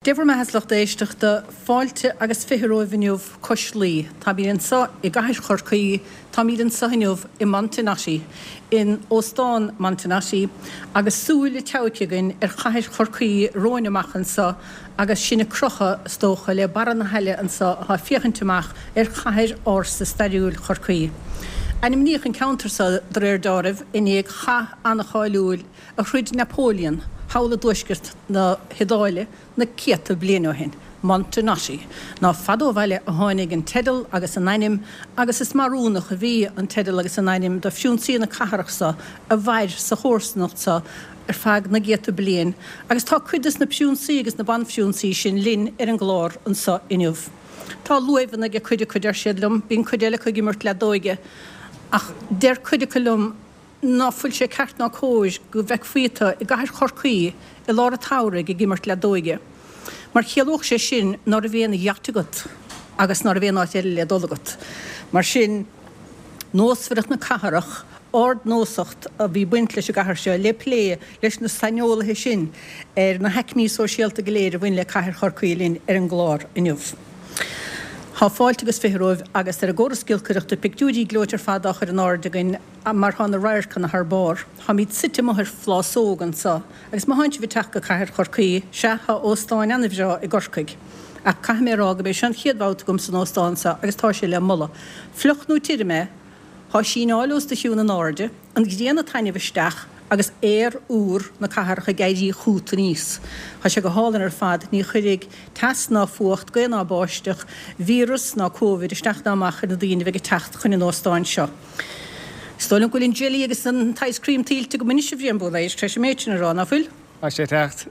Dé bhur mbeatha a lucht éisteachta, fáilte agus 20 romhaibh inniu cois Laoi. Táimid anseo i gcathair Chorcaí, táimid anseo inniu i Montenotte, in Óstán Montenotte, agus súil tógtha againn ar chathair Chorcaí romhainn amach anseo agus sinn ag crochadh, is dócha, le barra na haille anseo atá ag féachaint amach ar chathair ársa stairiúil Chorcaí. Ainmníodh an ceantar seo, de réir deáraimh, i ndiaidh chath an-cháiliúil a throid Napoleon thall i dtuaisceart na hIodáile na céadta bliain ó shin, Montenotte. Ná fada ó bhaile a tháinig an teideal agus an ainm agus is measúnach a bhí an teideal agus an ainm do phriúnsaí na cathrach so a mhair sa chomharsanacht so ar feadh na gcéadta bliain agus tá cuid des na priúnsaí agus na banphriúnsaí sin linn ar an gclár anso inniu. Tá luaimheanna ag cuid acu, deir siad liom, bíonn cuid eile acu ag imirt leadóige ach deir cuid acu liom, ná fuil sé ceart ná cóir go bhfeicfí tú i gcathair Chorcaí i lár an tsamhraidh ag imirt leadóige, mar chiallódh sé sin ná raibh aon yacht agat agus ná raibh aon áit eile le dul agat. Mar sin, nósmhaireacht na cathrach, ardnósacht a bhí baint leis an gcathair seo, le plé leis na saineolaithe sin ar na haicmí sóisialta go léir a bhain le cathair Chorcaí linn ar an gclár inniu. Tá fáilte agus 20 romhaibh agus ar an gcóras giolcaireachta pictiúirí gleoite ar fad á chur in airde againn mar thá na radharcanna thar barr. Táimíd suite amuigh ar phlásóg anso agus má thánn sibh ag teacht go cathair Chorcaí, sea, thá óstáin ana-bhreá i gCorcaigh. Ach caithfidh mé a rá go b'é seo an chéad bhabhta agam san óstán seo agus tá sé le moladh. Fliuch nó tirim é, thá síneáil os do chionn in airde, an ghrian ag taitneamh isteach agus aer úr na cathrach ag éirí chút aníos. Tá sé go hálainn ar fad, ní chuirfidh teas ná fuacht, gaoth ná báisteach, víreas ná Covid isteach ná amach ar na daoine a bheidh ag teacht chun an óstáin seo. Is dóigh liom go bhfuil an jelly agus an t-ice cream tuillte agam anois a Bhriain Búlaeir, tar éis an méid sin a rá, ná fuil? Tá sé ag teacht.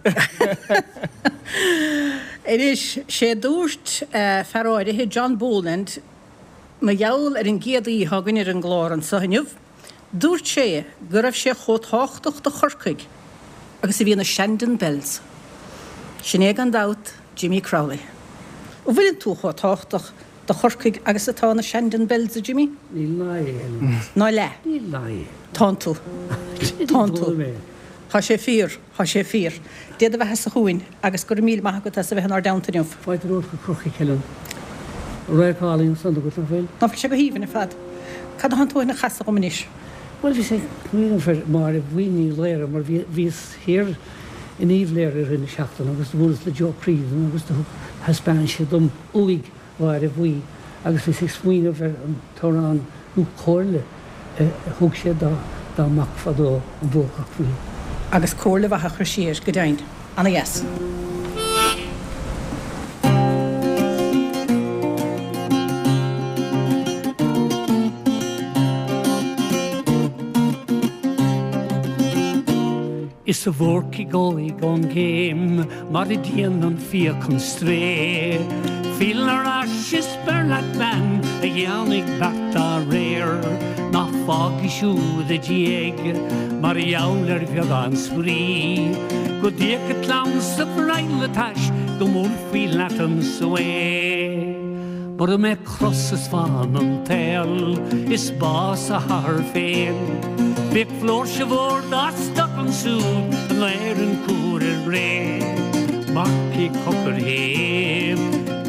Anois, sé dúirt fear áirithe, John Boland, mar gheall ar an gcéad aoi atá againn ar an gclár anso inniu, Dúirt sé go raibh sé chomh tábhachtach do Chorcaigh agus a bhí na Shandon Bells. Sin é gan dabht Jimmy Crowley. An bhfuileann tú chomh tábhachtach do Chorcaigh agus atá na Shandon Bells, a Jimmy? Níl ná aon. Ná leath. Níl ná aon. Tánn tú. Tánn tú. Tá sé fíor. Tá sé fíor. Dé do bheatha-sa chugainn agus go raibh míle maith agat as a bheith inár dteannta inniu. Fáilte romhat go Corcaigh Helen. Radharc álainn ansan agat, nach bhfuil? Ná fuil sé go haoibhinn ar fad. Cad atánn tú a chasadh dhom anois? Bhuel, bhíos ag smaoineamh ar Máire Bhuí Ní Laoire mar bhí, bhíos thiar in Uíbh Léire i rith na seachtaine agus do bhuaileas le Joe Creedon agus do thug, thaispeáin sé dom uaigh Mháire Bhuí agus bhíos ag smaoineamh ar an t-amhrán nó comhairle a thug sé dá mac fadó, An Búrcach Buí. Agus comhairle mhaith a chur siar, go deimhin. Ana dheas. Is a Bhúrcaigh óig ón gcéim mar a déanann fiach an strae. Fill ar ais is beir leat bean a dhéanfaidh beart dá réir. Ná fág í siúd id dhiaidh mar gheall ar bheagán spraoi. Go dtiocfaidh clann 's araile leat ais go mbuailfí leat an swae. Mura mbeadh cros is fán an tsaol is bás a hathar féin. Bheadh flúirse mhór dá stoc ansúd in Éirinn cúr ar ré. Marcaigh shocair shéimh,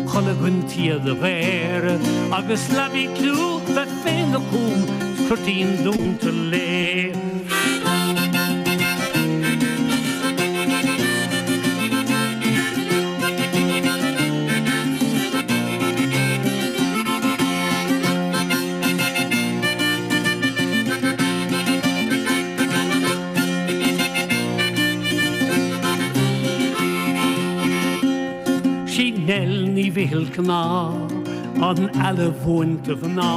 cholg an tsíoda ghair, agus leabaidh clú bheith féna cúm 's cuirtín dúnta léi. Sí Nell Ní Mhichíl Cná an eala mhúinte mhná.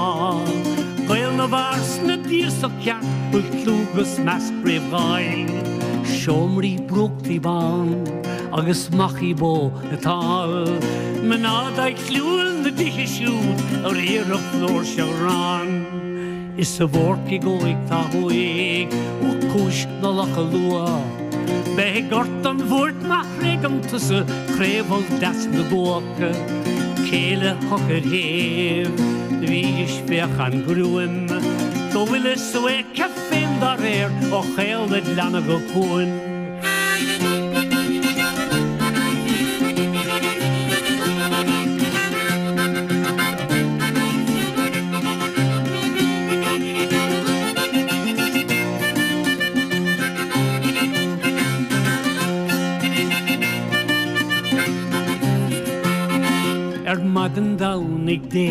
Gaol na bhfear 's na dtíosach ceart bhfuil clú 'gus meas roimh dháil. Seomraí brúchtaí bán agus machaí bó thall. Mná daidhliúil na dtithe siúd a riarfadh flúirse ghrán. Is a Bhúrcaigh óig tá uaidh ó chúis na Locha Luath. Beidh ort an bhuairt má thréigeann tusa craobhal deas na gcuach. Céile shocair shéimh do bhídís féach an ghruaim. Go bhfuil a suáilce féin dá réir ó chaol id leanna go cuan. Ar maidin Domhnaigh Dé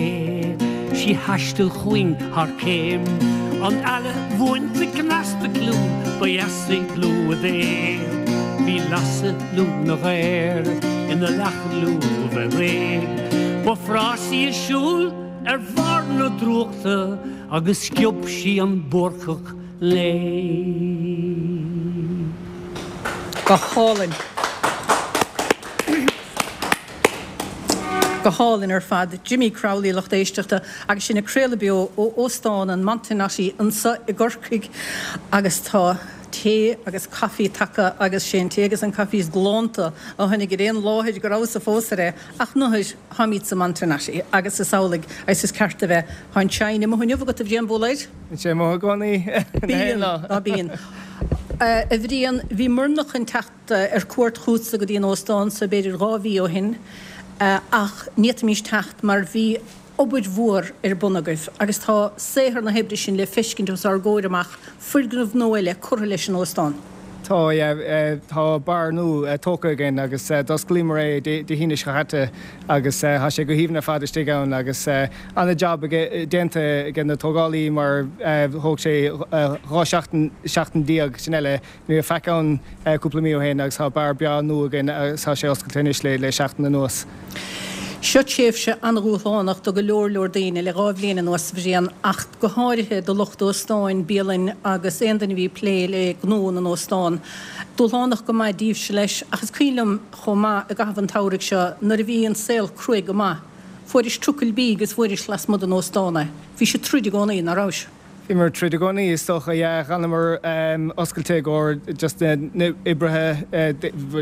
'sí thaistil chugainn thar céim, An eala bhuainte cneasta ciúin ba dheasa dlúth é. Bhí lasadh lúth na gcaor ina leac lúbh réidh, Ba phrásaí a siúl ar bharr na drúchta agus sciob sí an búrcach léi. Go hálainn. Go hálainn ar fad. Jimmy Crowley, a lucht éisteachta, agus sinn ag craoladh beo ó Óstán an Montenotte anso i gCorcaigh agus tá tae agus caife tagtha agus sé an tae agus an caife is galánta a tháinig ar aon láthair go rabhas-sa fós air é ach nuair tháimid sa Montenotte agus is amhlaidh agus is ceart a bheith. Tá an shine amuigh inniu agat a Bhriain Búlaeir. Bíonn sé amuigh i gcónaí. Bíonn, á bíonn. A Bhriain, bhíomarna chun teacht ar cuairt chugatsa go dtí an óstán so b'fhéidir 2 mhí ó shin ach ní fhéadfaimis teacht mar bhí obair mhór ar bun agaibh agus tá saothar na hoibre sin le feiscint os ár gcomhair amach, foirgneamh nua eile curtha leis an óstán. Tá, yeah. Tá beár nua tógtha againn agus d'osclaíomar é Dé hAoine seo chaite agus tá sé go haoibhinn ar fad istigh ann agus ana-jab déanta ag na tógálaí mar thóg sé 12 seachtain, seachtain sin eile. Ní raibh faic ann cúpla mí ó shin agus tá beár breá nua againn agus tá sé oscailte anois le seachtain anuas. Seo tréimhse an-dhúshlánach do go leor leor daoine le 2 bhliain anuas, a Bhriain, ach go háirithe do lucht óstáin, bialainn agus aon duine a bhí ag plé le gnó na n-óstán. Dúshlánach go maith daoibhse leis, ach is cuimhin liom chomh maith i gcaitheamh an tsamhraidh seo nuair a bhí an saol cruaidh go maith, fuairis trucail bídh agus fuairis lasmuigh den óstán é. Bhís ag troid i gcónaí, ná rabhais? Bhíomar ag troid i gcónaí, is dócha, yeah. Dh'fhanamar oscailte i gcomhair just na n-oibrithe.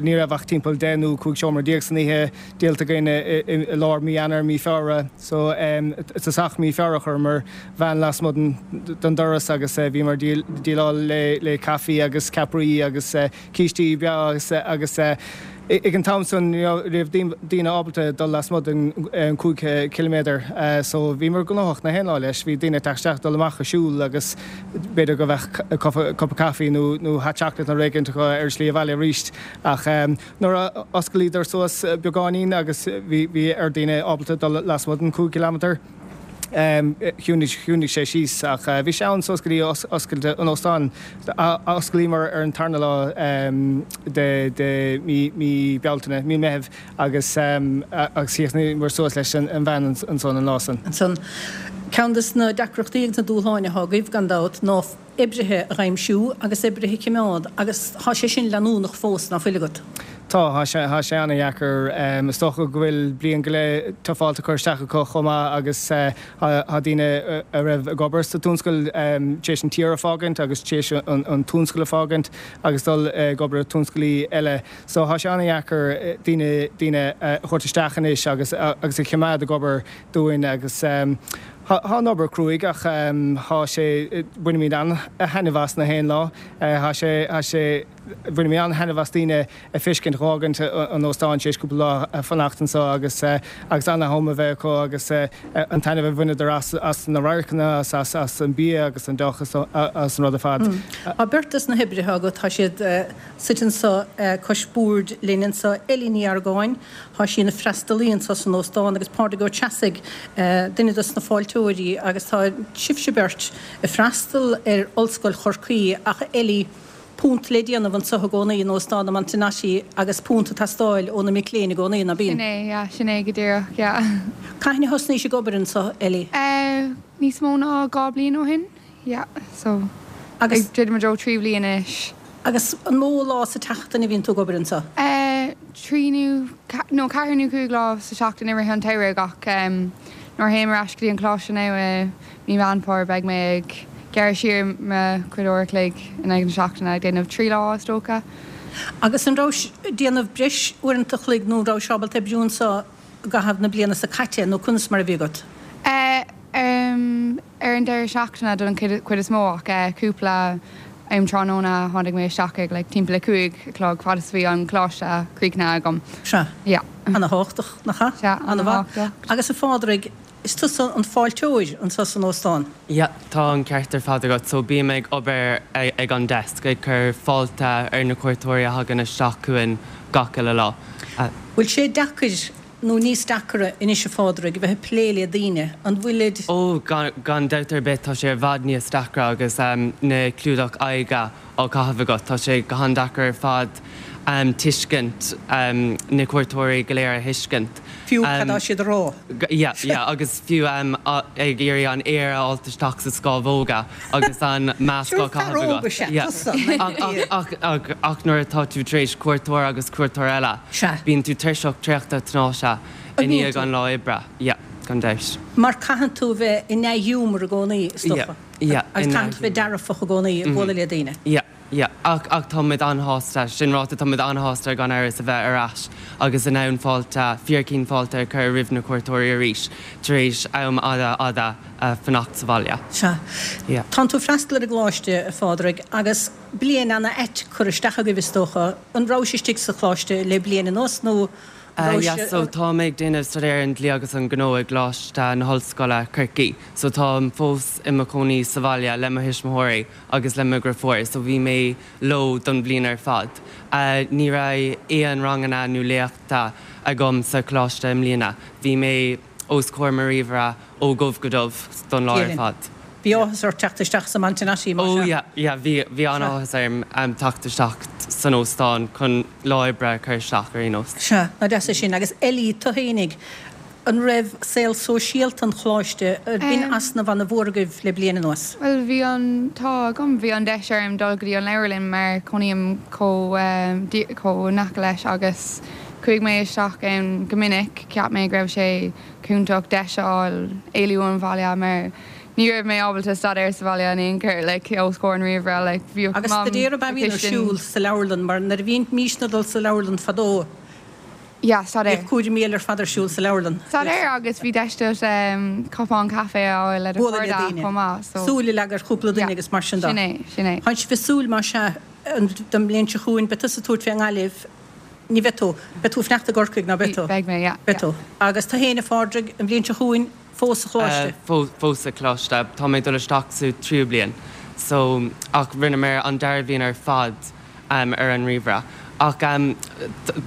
Ní raibh ach timpeall 10 nó 15 seomra san oíche díolta againn i lár mí Eanáir, mí Feabhra. So, i dtosach mí Feabhra chuireamar veain lasmuigh den doras agus bhíomar ag díoláil le caife agus ceapairí agus cístí breá agus ag an t-am san ní raibh daoine ábalta dul lasmuigh den 5 chiliméadar so bhíomar gnóthach na haon lá leis. Bhí daoine ag teacht isteach, dul amach ag siúl agus b'fhéidir go mbeadh cupa caife nó hot chocolate nó rud éigin acu ar a slí abhaile arís ach nuair a osclaíodar suas beagáinín agus bhí ar daoine ábalta dul lasmuigh den 5 chiliméadar. Chiúnaigh sé síos ach bhí sé ann suas go dtí oscailt an óstáin. Osclaíomar ar an tarna lá de mí Bealtaine, mí Meithimh agus agus chríochnaíomar suas leis an veain ansan an lá san. Ansan, ceann de na deacrachtaí agus na dúshláin atá agaibh, gan dabht, ná oibrithe a dh'aimsiú agus oibrithe a chimeád agus thá sé sin leanúnach fós, ná fuil agat? Tá, thá sé, thá sé ana-dheacair. Is dócha go bhfuil bliain go leith tufáilte curtha isteach acu chomh maith agus thá daoine a raibh ag obair sa tionscal tar éis an tír a fágaint agus tar éis an tionscal a fágaint agus dul ag obair i tionscalaí eile. So thá sé ana-dheacair daoine, daoine a thabhairt isteach anois agus, agus a chimeád ag obair dúinn agus Thá an obair cruaidh ach thá sé, bainimid an-thaitneamh as na haon lá. Thá sé, thá sé, bainimid an-thaitneamh as daoine a feiscint ag fhágaint an óstáin tar éis cúpla lá a fanacht anso agus agus ana-am a bheith acu agus an taitneamh a bhaineadar as, as na radharcanna, as, as, as an bia agus an deoch as an rud ar fad. Tá beirt des na hoibrithe agat, tá siad suite anso cois boird linn anso, Ellie Ní Argáin, Tá sí ina freastalaí anso san óstán agus Pádraig Ó Treasaigh, duine dos na fáilteoirí agus tá sibhse beirt ag freastal ar Ollscoil Chorcaí ach Ellie, punt le déanamh anso i gcónaí in Óstán na Montenotte agus punt ag teastáil ó na mic léinn i gcónaí, ná bíonn? Sin é, yeah, sin é go díreach, yeah. Cathain a thosnaís ag obair anso, Ellie? Eh, níos mó ná 2 bliain ó shin. Yeah, so Agus. ag druidim i dtreo 3 bhliain anois. Agus an mó lá sa tseachtain a bhíonn tú ag obair anso? Eh, 3 nó, nó 4 nó 5 lá sa tseachtain i rith an tsamhraidh ach em nuair a théim ar ais go dtí an coláiste now i mí Mheán Fómhair beidh mé ag gearradh siar mo chuid uair a chloig in aghaidh na seachtaine ag déanamh 3 lá is dócha. Agus an rabhais ag déanamh breis uaireanta a chloig nó an rabhais ábalta oibriú anso i gcaitheamh na bliana so caite nó conas mar a bhí agat? Eh, em. Ar an deireadh seachtaine don chuid is mó ach cúpla um tráthnóna tháinig mé isteach ag like timpeall a 5 a chlog fad is a bhí an coláiste críochnaithe agam. Sea. Yeah. Ana-thábhachtach, nach ea? Sea, ana-thábhachtach. Agus a Phádraig, is tusa an fáilteoir anso san óstán? Yeah, tá an ceart ar fad agat. So bím ag obair ag an desk, ag cur fáilte ar na cuairteoirí a thagann isteach chugainn gach uile lá. Bhfuil sé deacair nó níos deacaire anois a Phádraig a bheith ag plé le daoine, an bhfuilid? Ó, gan dabht ar bith tá sé i bhfad níos deacra agus na clúdach aghaidhe á caitheamh agat. Tá sé go han-deacair ar fad tuiscint na cuairteoirí go léir a thuiscint. Fiú cad tá siad a rá. Yeah, yeah, agus fiú ag iarraidh an aer a fháilt isteach sa scámhóga agus an masc á caitheamh agat. Yeah. Ach, ach, ach nuair atá tú tar éis cuairteoir agus cuairteoir eile, bíonn tú tuirseach traochta tnáite i ndiaidh an lá oibre. Yeah, gan dabht. Mar caitheann tú a bheith i ndea-ghiúmar i gcónaí, is dócha. Yeah, yeah. Agus caitheann tú a bheith dearfach i gcónaí ag bualadh le daoine. Yeah. Yeah, ach, ach tá muid an-shásta, sin ráite, tá muid an-shásta gan amhras a bheith ar ais agus in ann fáilte, fíor-cinn fáilte a chur roimh na cuairteoirí arís tar éis am fhada, fhada fanacht sa bhaile. Sea. Yeah. Tánn tú ag freastal ar an gcoláiste, a Phádraig, agus bliain ana-ait curtha isteach agaibh is dócha. An rabhais istigh sa choláiste le bliain anuas nó an rabhais. Yeah, so tá mé ag déanamh staidéar an dlí agus an gnó i gColáiste na hOllscoile, Corcaigh. So táim fós i mo chónaí sa bhaile le mo thuismitheoirí. agus le mo dheirfiúr so bhí mé leo don bhliain ar fad. Ní raibh aon ranganna nó léachta agam sa choláiste i mbliana. Bhí mé os comhair mo ríomhaire ó dhubh go dubh don lá ar fad. Bhí áthas ort teacht isteach sa Montenotte mar sea? Oh yeah, yeah, bhí, bhí an-áthas orm teacht isteach san óstán chun lá oibre a chur isteach ar aon nós. Sea, nach deas é sin. Agus Ellie, tú fhéinig, An raibh saol sóisialta an choláiste, b'in easnamh ana mhór agaibh le bliain anuas? Bhuel, bhí an t-ádh agam, bhí an deis orm dul go dtí an leabharlann mar cónaím chomh chomh in aice leis agus chuaigh mé isteach ann go minic. Cheap mé go raibh sé cúntach deis a fháil éalú ón bhaile mar ní raibh mé ábalta staidéar sa bhaile in aon chor, like, os comhair an ríomhaire, like, bhíodh Agus Mam staidéar ab ea a bhíonn ar siúl sa leabharlann mar nuair a bhímísne ag dul sa leabharlann fadó, Yeah, staidéar. Bhíodh cúraimí eile ar fad ar siúl sa leabharlann. Staidéar agus bhí deis duit cupán caife a fháil le do Bualadh le chairde daoine. chomh maith, so. Súil a leagadh ar chúpla duine Yeah, agus mar sin de. sin é, sin é. Tánn sibh ag súil, más ea, don mbliain seo chugainn, beidh tusa ag tabhairt fé i nGaillimh, ní bheidh tú, beidh tú ag fanacht i gCorcaigh, ná beidh tú? Beidh mé, yeah, Beidh tú. Agus tú fhéin, a Phádraig, an bhliain seo chugainn, fós sa choláiste? Fós sa choláiste. Tá mé ag dul isteach sa tríú bliain so ach rinneamar an dara bhliain ar fad ar an ríomhaire. Ach ba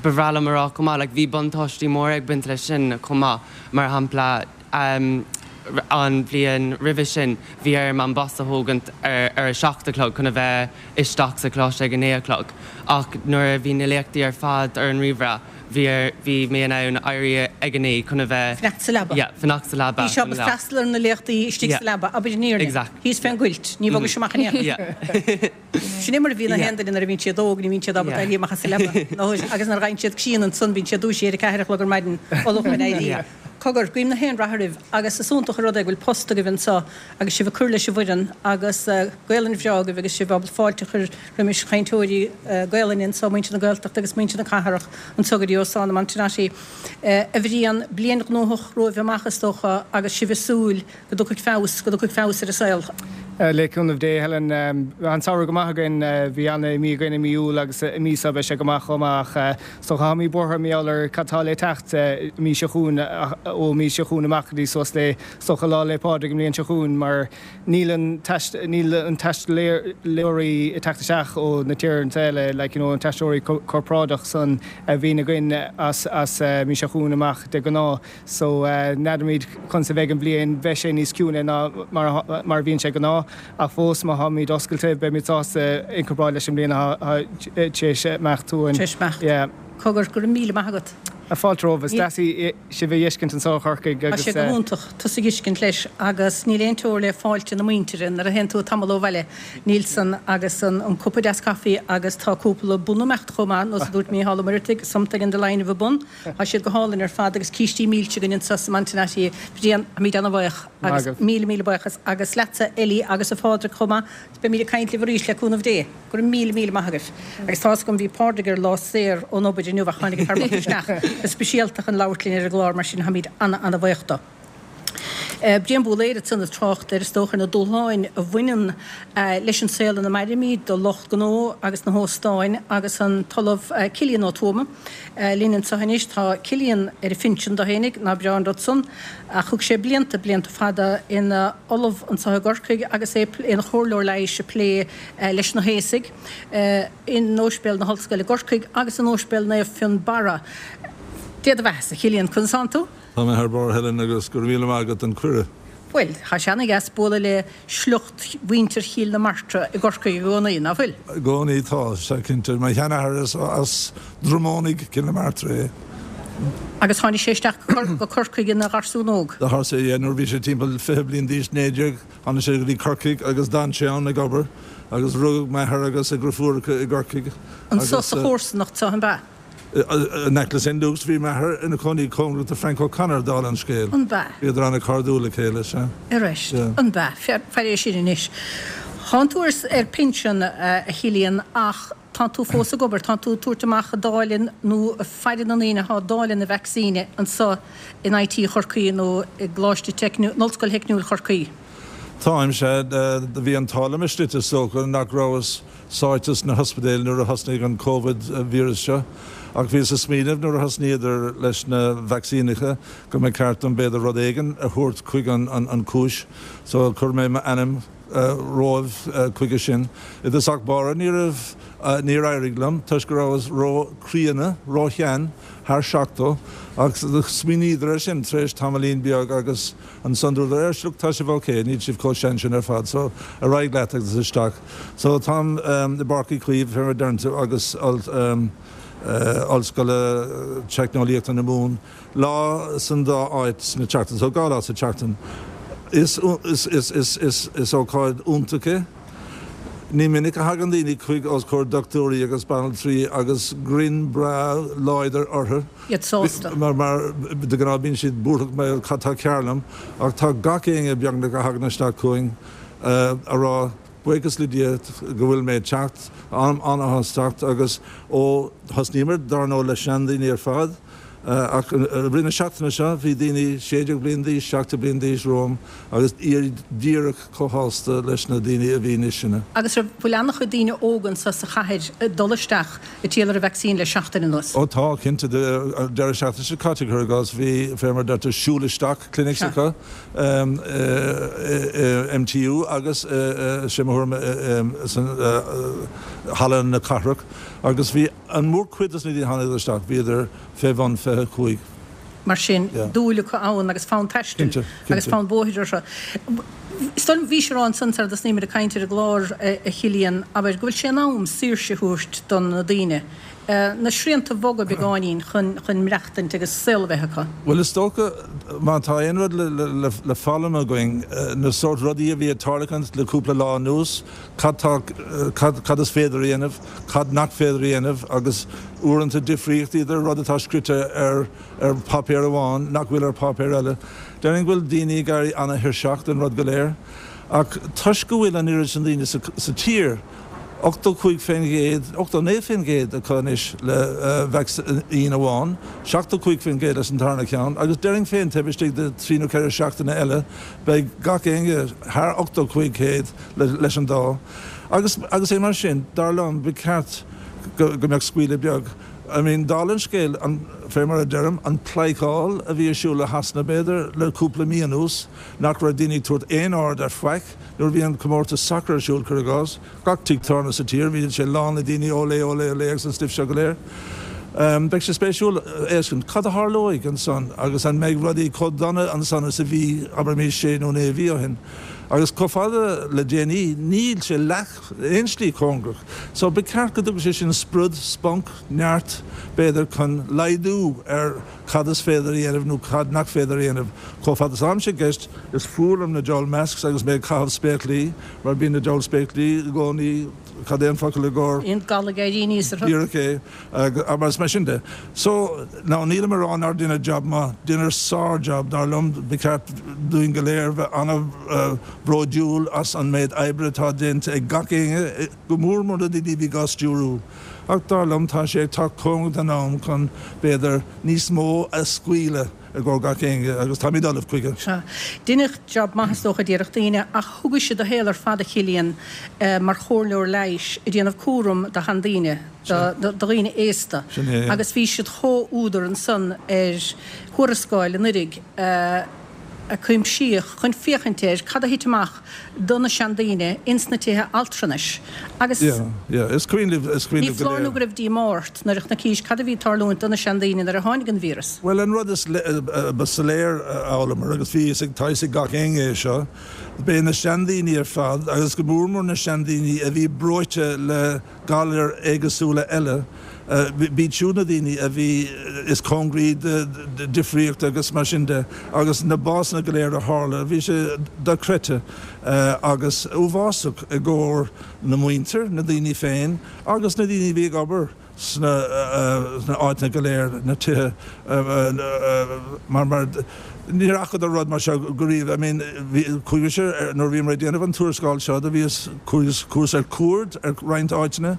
bhreá liom a rá chomh maith like bhí buntáistí móra ag baint leis sin chomh maith. Mar shampla an bhliain roimhe sin bhí orm an bus a thógaint ar a seacht a chlog chun a bheith isteach sa choláiste ag a naoi a chlog. Ach nuair a bhí na léachtaí ar fad ar an ríomhaire Bhí ar, bhí mé in ann éirí ag a naoi chun a bheith. Fanacht sa leaba. Yeah, fanacht sa leaba. Bhí sé ábalta freastal ar na léachtaí istigh sa leaba, abair an fhírinne. Exactly. Thíos fén gcuilt, ní bhogais amach in aon chor. Yeah. Sin é mar a bhíonn na haon duine nuair a bhíonn siad óg, ní bhíonn siad ábalta éirí amach as an leaba. Agus nuair a fhaigheann siad grian ansan bíonn siad dúisithe ar a ceathair a chlog ar maidin, ullamh chun éirí. Yeah. Cogar, guím na haon rath oraibh agus is iontach an rud é go bhfuil post agaibh anseo agus sibh ag cur leis an bhfoireann agus Gaolainn bhreá agaibh agus sibh ábalta fáilte a chur roimis chainteoirí Gaolainne anseo, muintir na Gaeltachta agus muintir na cathrach anseo go dtí Óstán na Montenotte. A Bhriain, bliain ghnóthach romhaibh amach is dócha agus sibh ag súil go dtiocfaidh feabhas, go dtiocfaidh feabhas ar an saol. Le cúnamh Dé, Helen. Bhí an samhradh go maith againn. Bhí ana-mhí againn i mí Iúil agus i mí seo beidh sé go maith chomh maith ach is dócha táimid buartha mar gheall ar cad tá le teacht mí seo chugainn, ó mí seo chugainn amach go dtí suas le is dócha Lá 'le Pádraig an mbliain seo chugainn mar níl an níl an taistealóirí ag teacht isteach ó na tíortha eile like you know an taistealóirí corparáideach san a bhíonn againn as as mí seo chugainn amach de ghnáth. So, n'fheadaraimid conas a bheidh an bhliain, beidh sé níos ciúine ná mar a bhíonn sé de ghnáth, ach fós má tháimid oscailte, beimid sásta i gcomparáid leis an mbliain atá tar éis imeacht uainn. Tar éis imeacht. Yeah. Cogar, go raibh míle maith agat. Fáilte romhaibh. Is deas sibh a fheiscint anseo i Chorcaigh Tá agus. sé go hiontach tusa a fheiscint leis agus níl aon teora le fáilte na muintire nuair a théann tú tamall ó bhaile. Níl san agus an cupa deas caife agus tá cúpla bun ag imeacht chomh maith, nós a dúirt Mícheál Ó Muireadhaigh, something in the line of a bun. Tá siad go hálainn ar fad agus cístí milse againn anseo sa Montenotte. Bhriain, táimid ana-bhaoch agus míle míle buíochas agus leatsa Ellie agus a Phádraig chomh maith. Beimid ag caint libh arís le cúnamh Dé. Go raibh míle míle maith agaibh. Agus tá's agam bhí Pádraig ar lá saor ón obair inniu ach tháinig an fear bocht isteach go speisialta chun labhairt linn ar an gclár mar sin táimid ana ana bhaoch dó. Brian Búlaeir ansan ag trácht ar is dócha ar na dúshláin a bhaineann leis an saol ina mairimid do lucht gnó agus na hóstáin agus an tOllamh Cillian Ó Tuama linn anseo anois. Tá Cillian ar a phinsean dó fhéinig, nach breá an rud san, ach thug sé blianta, blianta fada ina ollamh anseo i gCorcaigh agus é ina chomhairleoir leighis ag plé leis na haosaigh in Ospidéal na hOllscoile i gCorcaigh agus in Ospidéal Naomh Fionnbarra. Dé do bheathasa, a Chillian, conas tánn tú? Tá mé thar barr, Helen, agus go raibh míle maith agat don cuireadh. Bhuel, tá sé ana-dheas bualadh le sliocht mhuintir Chill na Martra i gCorcaigh i gcónaí, ná fuil? I gcónaí tá, sea, cinnte. Mo sheanathair is as Droim Ónaigh, Cill na Martra é. Agus tháinig sé isteach go Corcaigh ina gharsún óg? Do tharla sé, yeah, nuair a bhí sé timpeall 20 bliain d'aois, 19, tháinig sé go dtí Corcaigh agus d'fhan sé ann ag obair agus rugadh m'athair agus a dheirfiúracha i gCorcaigh Anso agus. sa chomharsanacht seo, an b'ea? In aice le St. Luke's, bhí m'athair ina chónaí cóngarach do Frank O'Connor, dála an scéil. An b'ea? Bhíodar an-chairdiúil le chéile, sea. Arís, an b'ea? Faire é sin anois. Tánn tú ar pinsean, a Chillian, ach tánn tú fós ag obair, tánn tú ag tabhairt amach ag dáileadh nó ag faire na ndaoine atá ag dáileadh na vacsaíne anso in IT Chorcaí nó i gColáiste Teicniúil, in Ollscoil Theicniúil Chorcaí. Táim, sea. Do bhí an t-ádh liom istigh is dócha nach rabhas sáite sna hospidéil nuair a thosnaigh an Covid víreas seo ach bhíos ag smaoineamh nuair a thosnaíodar leis na vacsaíneacha go mba ceart dom b'fhéidir rud éigin a thabhairt chuig an cúis so chuir mé m'ainm romhaibh chuige sin. I dtosach báire ní raibh, níor éirigh liom toisc go rabhas ró-chríonna, ró-shean, thar 70 ach smaoiníodar air sin tar éis tamaillín beag agus Ansan dúradar, Éist, look, tá sibh ok, níl sibh chomh sean sin ar fad, so ar aghaidh leat agus isteach. So táim i bPáirc Uí Chaoimh, fé mar a deireann tú, agus Ollscoil Teicneolaíochta na Mumhan, lá san dá áit sna tseachtain, so 2 lá sa tseachtain. Is, is, is, is, is ócáid iontach é. Ní minic a thagann daoine chuig os comhair dochtúirí agus banaltraí agus grin breá láidir orthu. iad sásta. Mar de ghnáth bíonn siad buarthach mar cad tá cearr liom ach tá gach éinne beagnach a thagann isteach chugainn a rá buíochas le Dia go bhfuil mé ag teacht, an-áthas teacht agus ó thosnaíomar dár ndóigh le seandaoine ar fad ach i rith na seachtaine seo bhí daoine 16 bliain d'aois, 17 bliain d'aois romham agus iad díreach chomh shásta leis na daoine a bhí níos sine. Agus an bhfuil an-chuid daoine óga anso sa chathair ag dul isteach ag triall ar an vacsaín le seachtain anuas? Ó tá, cinnte. An deireadh seachtaine seo caite, cuir i gcás, bhí, fé mar a deirtear, siúl isteach clinics acu i MTU agus, sé mo thuairim, san Halla na Cathrach agus bhí an mhórchuid dos na daoine a tháinig isteach, bhíodar fé bhun 25. Mar sin, dúil acu ann agus fonn taistil agus fonn bóthair orthu. Is dóigh liom, bhís ag rá ansan sara dtosnaíomar ag caint ar an gclár, a Chillian, abair, go bhfuil sé in am saoirse a thabhairt do na daoine, na srianta a bhogadh beagáinín chun chun maireachtaint agus saol a bheith acu. Bhuel, is dócha, má tá aon rud le foghlaim againn, na sórt rudaí a bhí ag tarlachaint le cúpla lá anuas, cad tá, cad is féidir a dhéanamh, cad nach féidir a dhéanamh agus uaireanta difríocht idir rud atá scrite ar ar pháipéar amháin nach bhfuil ar pháipéar eile. Déarfainn go bhfuil daoine ag éirí ana-thuirseach den rud go léir. Ach toisc go bhfuil an oiread sin daoine sa tír, 85%, 89% acu anois le vacsaín amháin, 75% leis an tarna ceann, agus déarfainn féin taobh istigh de thrí nó ceithre seachtaine eile beidh gach éinne thar 85% leis an dá. Agus agus é mar sin, dar liom, ba cheart go mbeadh scaoileadh beag. I mean, dála an scéil, an, fé mar a deirim, an pleidhceáil a bhí ar siúl i Shasana, b'fhéidir, le cúpla mí anuas, nach raibh daoine ag tabhairt aon aird ar faic nuair a bhí an comórtas sacair ar siúl, cuir i gcás. Gach tigh tábhairne sa tír, bhí sé lán le daoine, olé, olé, olé agus an stuif seo go léir. Beidh sé spéisiúil a fheiscint cad a tharlóidh ansan agus an mbeidh rudaí chomh dona ansan is a bhí, abraimis, sé nó naoi mhí ó shin. Agus chomh fada le déanaí, níl sé leath. aon slí cóngarach. So ba cheart go dtugadh sé sin sprid, spunk, neart, b'fhéidir, chun laghdú ar cad is féidir a dhéanamh nó cad nach féidir a dhéanamh. Chomh fada is atáimse i gceist, is fuath liom na diabhal masks agus mé ag caitheamh spéaclaí, mar bíonn na diabhal spéaclaí i gcónaí, cad é an focal i gcomhair? Bíonn gal ag éirí aníos orthu. Díreach é. Agus mar sin de. So, now nílim ag rá nár deineadh jab maith, deineadh sár-jab, dar liom, ba cheart dúinn go léir bheith an-bhródúil as an méid oibre atá déanta ag gach éinne, go mór mór na daoine a bhí dhá stiúrú. Ach dar liom, tá sé ag teacht cóngarach don am chun, b'fhéidir, níos mó a scaoileadh. i gcomhair gach éinne agus táimid ullamh chuige. Sea. Deineadh jab maith is dócha déarfadh daoine ach thugais do shaol ar fad a Chillian mar chomhairleoir leighis ag déanamh cúram do sheandaoine, do dhaoine aosta agus bhí siad chomh-údar ansan ar thuarascáil anuiridh a cuimsíodh chun féachaint ar cad a thit amach do na seandaoine ins na tithe altranais agus Is cuimhin libh, is cuimhin ní libh go foláir nó léir. go raibh díomá ort nuair a chonaicis cad a bhí ag tarlúint do na seandaoine nuair a tháinig an víreas. Bhuel, an rud is ba soiléir a d'fhoghlamar, agus bhí fhios ag, tá fhios ag gach éinne é seo, b'é na seandaoine ar fad, agus go mór mór na seandaoine a bhí breoite le galair éagsúla eile, b'iad siúd na daoine a bhí is cóngaraí do difríocht agus mar sin de, agus na básanna go léir a tharla, bhí sé dochreidte agus uafásach i gcomhair na muintir, na daoine féin agus na daoine a bhí ag obair sna áiteanna go léir, na tithe, mar, mar níor fhacadar rud mar seo go riamh. I mean, bhí, chuaigh mise, nuair a bhíomar ag déanamh an tuarascáil seo, do bhíos, chuas, chuas ar cuaird ar roinnt áiteanna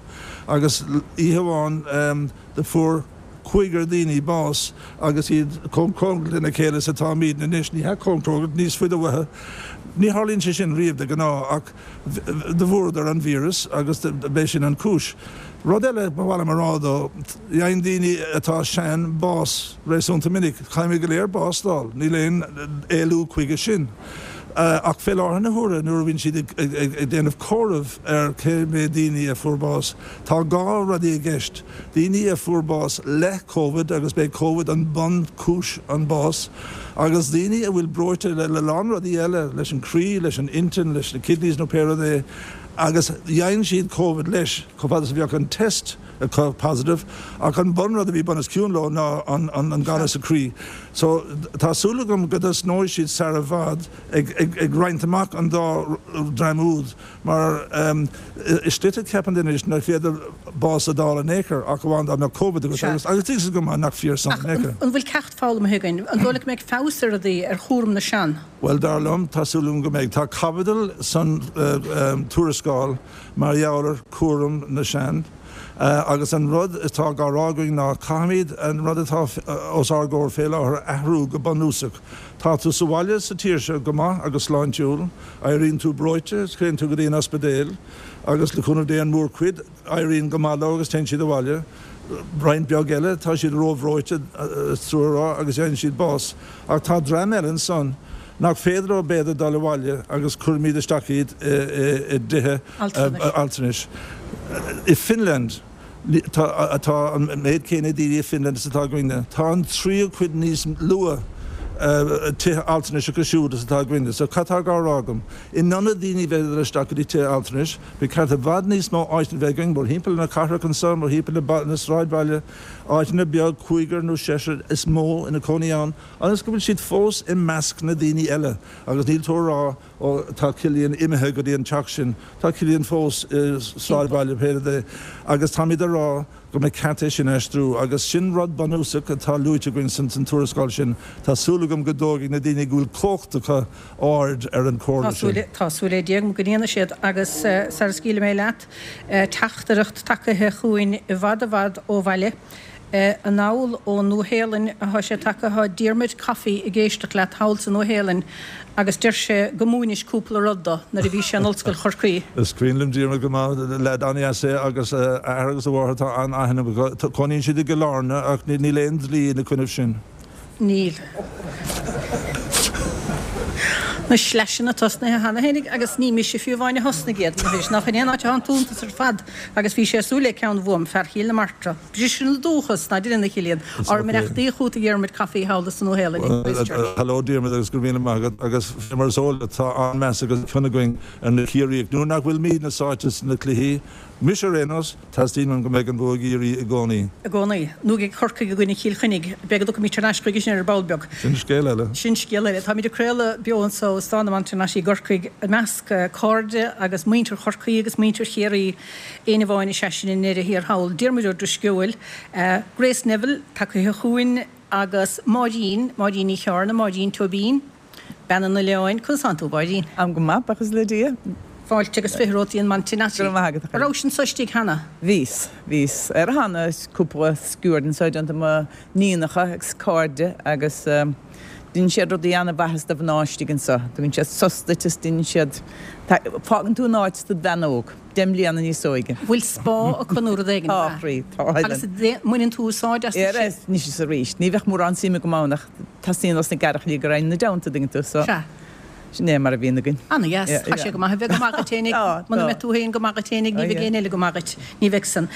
agus oíche amháin do fuair cúigear daoine bás agus iad chomh cóngarach lena chéile is atáimídne anois, ní hea chomh cóngarach, níos faide uathu. Ní tharlaíonn sé sin riamh de ghnáth ach do bhfuaireadar an víreas agus b'é sin an chúis. Rud eile ba mhaith liom a rá though, faigheann daoine atá sean bás réasúnta minic. Caithfimid go léir bás d'fháil, níl aon éalú chuige sin. Ach fé láthair na huaire nuair a bhíonn siad ag déanamh comhaireamh ar cé mhéad daoine a fuair bás, tá dhá rudaí i gceist, daoine a fuair bás le Covid agus b'é Covid an bun chúis an bás, agus daoine a bhfuil breoite le a lán rudaí eile, leis an croí, leis an intinn, leis na kidneys nó pé rud é, agus dhein siad Covid leis, chomh fada is a bheadh an test acu positive, ach an bun rud a bhí bun os cionn leo ná an galar sa croí. So, tá súil agam go dtosnóidh siad sara bhfad ag roinnt amach an dá dhream úd, mar i slite ceapann duine anois nach féidir bás a d'fháil in aon chor ach amháin dá mbeadh Covid agat agus agus tuigtear go maith nach fíor san Ach in aon chor. an bhfuil ceacht foghlamtha againn? An dóigh leat go mbeidh feabhas ar rudaí ar chúram na sean? Bhuel, dar liom, tá súil agam go mbeidh. Tá caibidil san tuarascáil mar gheall ar chúram na sean agus an rud atá á rá againn ná caithfimid an rud atá os ár gcomhair fé láthair a athrú go bunúsach. Tá tú sa bhaile sa tír seo go maith agus sláintiúil, éiríonn tú breoite, téann tú go dtí an ospidéal agus le cúnamh Dé an mhórchuid, éiríonn go maith leo agus téann siad abhaile. Roinnt beag eile, tá siad róbhreoite, is trua a rá, agus faigheann siad bás. Ach tá dream eile ansan nach féidir leo b'fhéidir dul abhaile agus cuirimid isteach iad i dtithe altranais. I Finland, tá an méid céanna daoine i Finland is atá againne. Tá an tríú cuid níos lú tithe altranais acu siúd is atá againne. So cad tá á rá agam? In ionad daoine bheith ag dul isteach go dtí tithe altranais, Ba cheart i bhfad níos mó áiteanna bheith againn mórthimpeall na cathrach anseo, mórthimpeall na sráidbhaile, áiteanna beag, cúigear nó seisear is mó ina cónaí ann, ionas go bhfuil siad fós i measc na daoine eile agus níl tú a rá ó tá Cillian imithe go dtí an teach sin, tá Cillian fós i sráidbhaile pé rud é agus táimid a rá go mba ceart é sin a aistriú agus sin rud bunúsach atá luaite againn san tuarascáil sin. Tá súil agam go dtógfaidh na daoine go bhfuil cumhacht acu aird ar an chomhairle sin. Tá súil ar Dhia agam go ndéanfaidh siad agus sara scaoilfidh mé leat, teachtaireacht tagaithe chugainn i bhfad i bhfad ó bhaile. Anall ón Nua-Shéalainn atá sé tagtha. Tá Diarmuid Coffey ag éisteacht leat thall sa Nua-Shéalainn agus deir sé go múinis cúpla rud do nuair a bhí sé in Ollscoil Chorcaí. Is cuimhin liom Diarmuid go maith, leaid an-dheas é agus a athair agus a mháthair, tá an-aithne agam. Cónaíonn siad i gCill Airne ach níl aon dlí ina coinnibh sin. Níl. Na sleaiseanna tosnaithe cheana fhéinig agus ní mise fiú amháin a thosnaigh iad, anois nach in aon áit atá an t-iontas ar fad agus bhí sé ag súil le ceann uaim, fear Chill na Martra. Briseann an dúchas, ná deineann a Chillian. Ár mbeannachtaí chugat a Dhiarmuid Coffey thall sa Nua-Shéalainn i gChristchurch. Hello Diarmuid agus go raibh míle maith agat agus fé mar is eol duit tá an-meas agus cion againn ar na Ciarraíoch nuair nach bhfuilimidne sáite sna cluichí, mise ar aon nós, Teastaíonn uaim go mbeidh an bua ag Ciarraí i gcónaí. I gcónaí. Nó ag Corcaigh i gcoinne Chill Chainnigh. Beidh go dtiocfaimid thar n-ais chuige sin ar ball beag. Sin scéal eile. Sin scéal eile. Táimid ag craoladh beo anseo ó Óstán na Montenotte i gCorcaigh i measc cairde agus muintir Chorcaí agus muintir Chiarraí. Éinne amháin is ea sin i ndeireadh thiar thall. Diarmuid Ó Drisceoil. Grace Neville tagtha chugainn agus Máirín, Máirín Ní Chearna, Máirín Tóibín. Bean an Oileáin, conas tánn tú, a Mháirín? Táim go maith, buíochas le Dia. Fáilte agus 20 romhat dtí an Montenotte. Go raibh maith agat, a An rabhais anso istigh cheana? Bhíos. Bhíos ar cheana cúpla sciuird anseo déanta ag mo níonacha agus cairde agus deineann siad rudaí ana-mhaitheas do mhná istigh anseo. Tugann siad sos duit is deineann siad, fágann tú in áit is do bhean óg. 10 mbliana níos óige. Bhfuil spá acu nó rud éigin, Tá, a chroí, tá. Agus mbaineann tú úsáid astu sin? Anois is arís. Ní bheadh mórán suim agam ann ach teastaíonn os na gearrchailí go raghainn ina dteannta, dtuigeann tú, so Sea. sin é mar a bhíonn againn. Ana-dheas. Tá sé go maith a bheith go maith duit fhéinig. Tá, Muna tá. mbeidh tú féin go maith duit fhéinig, ní bheidh éinne eile go maith duit. Ní bheidh san.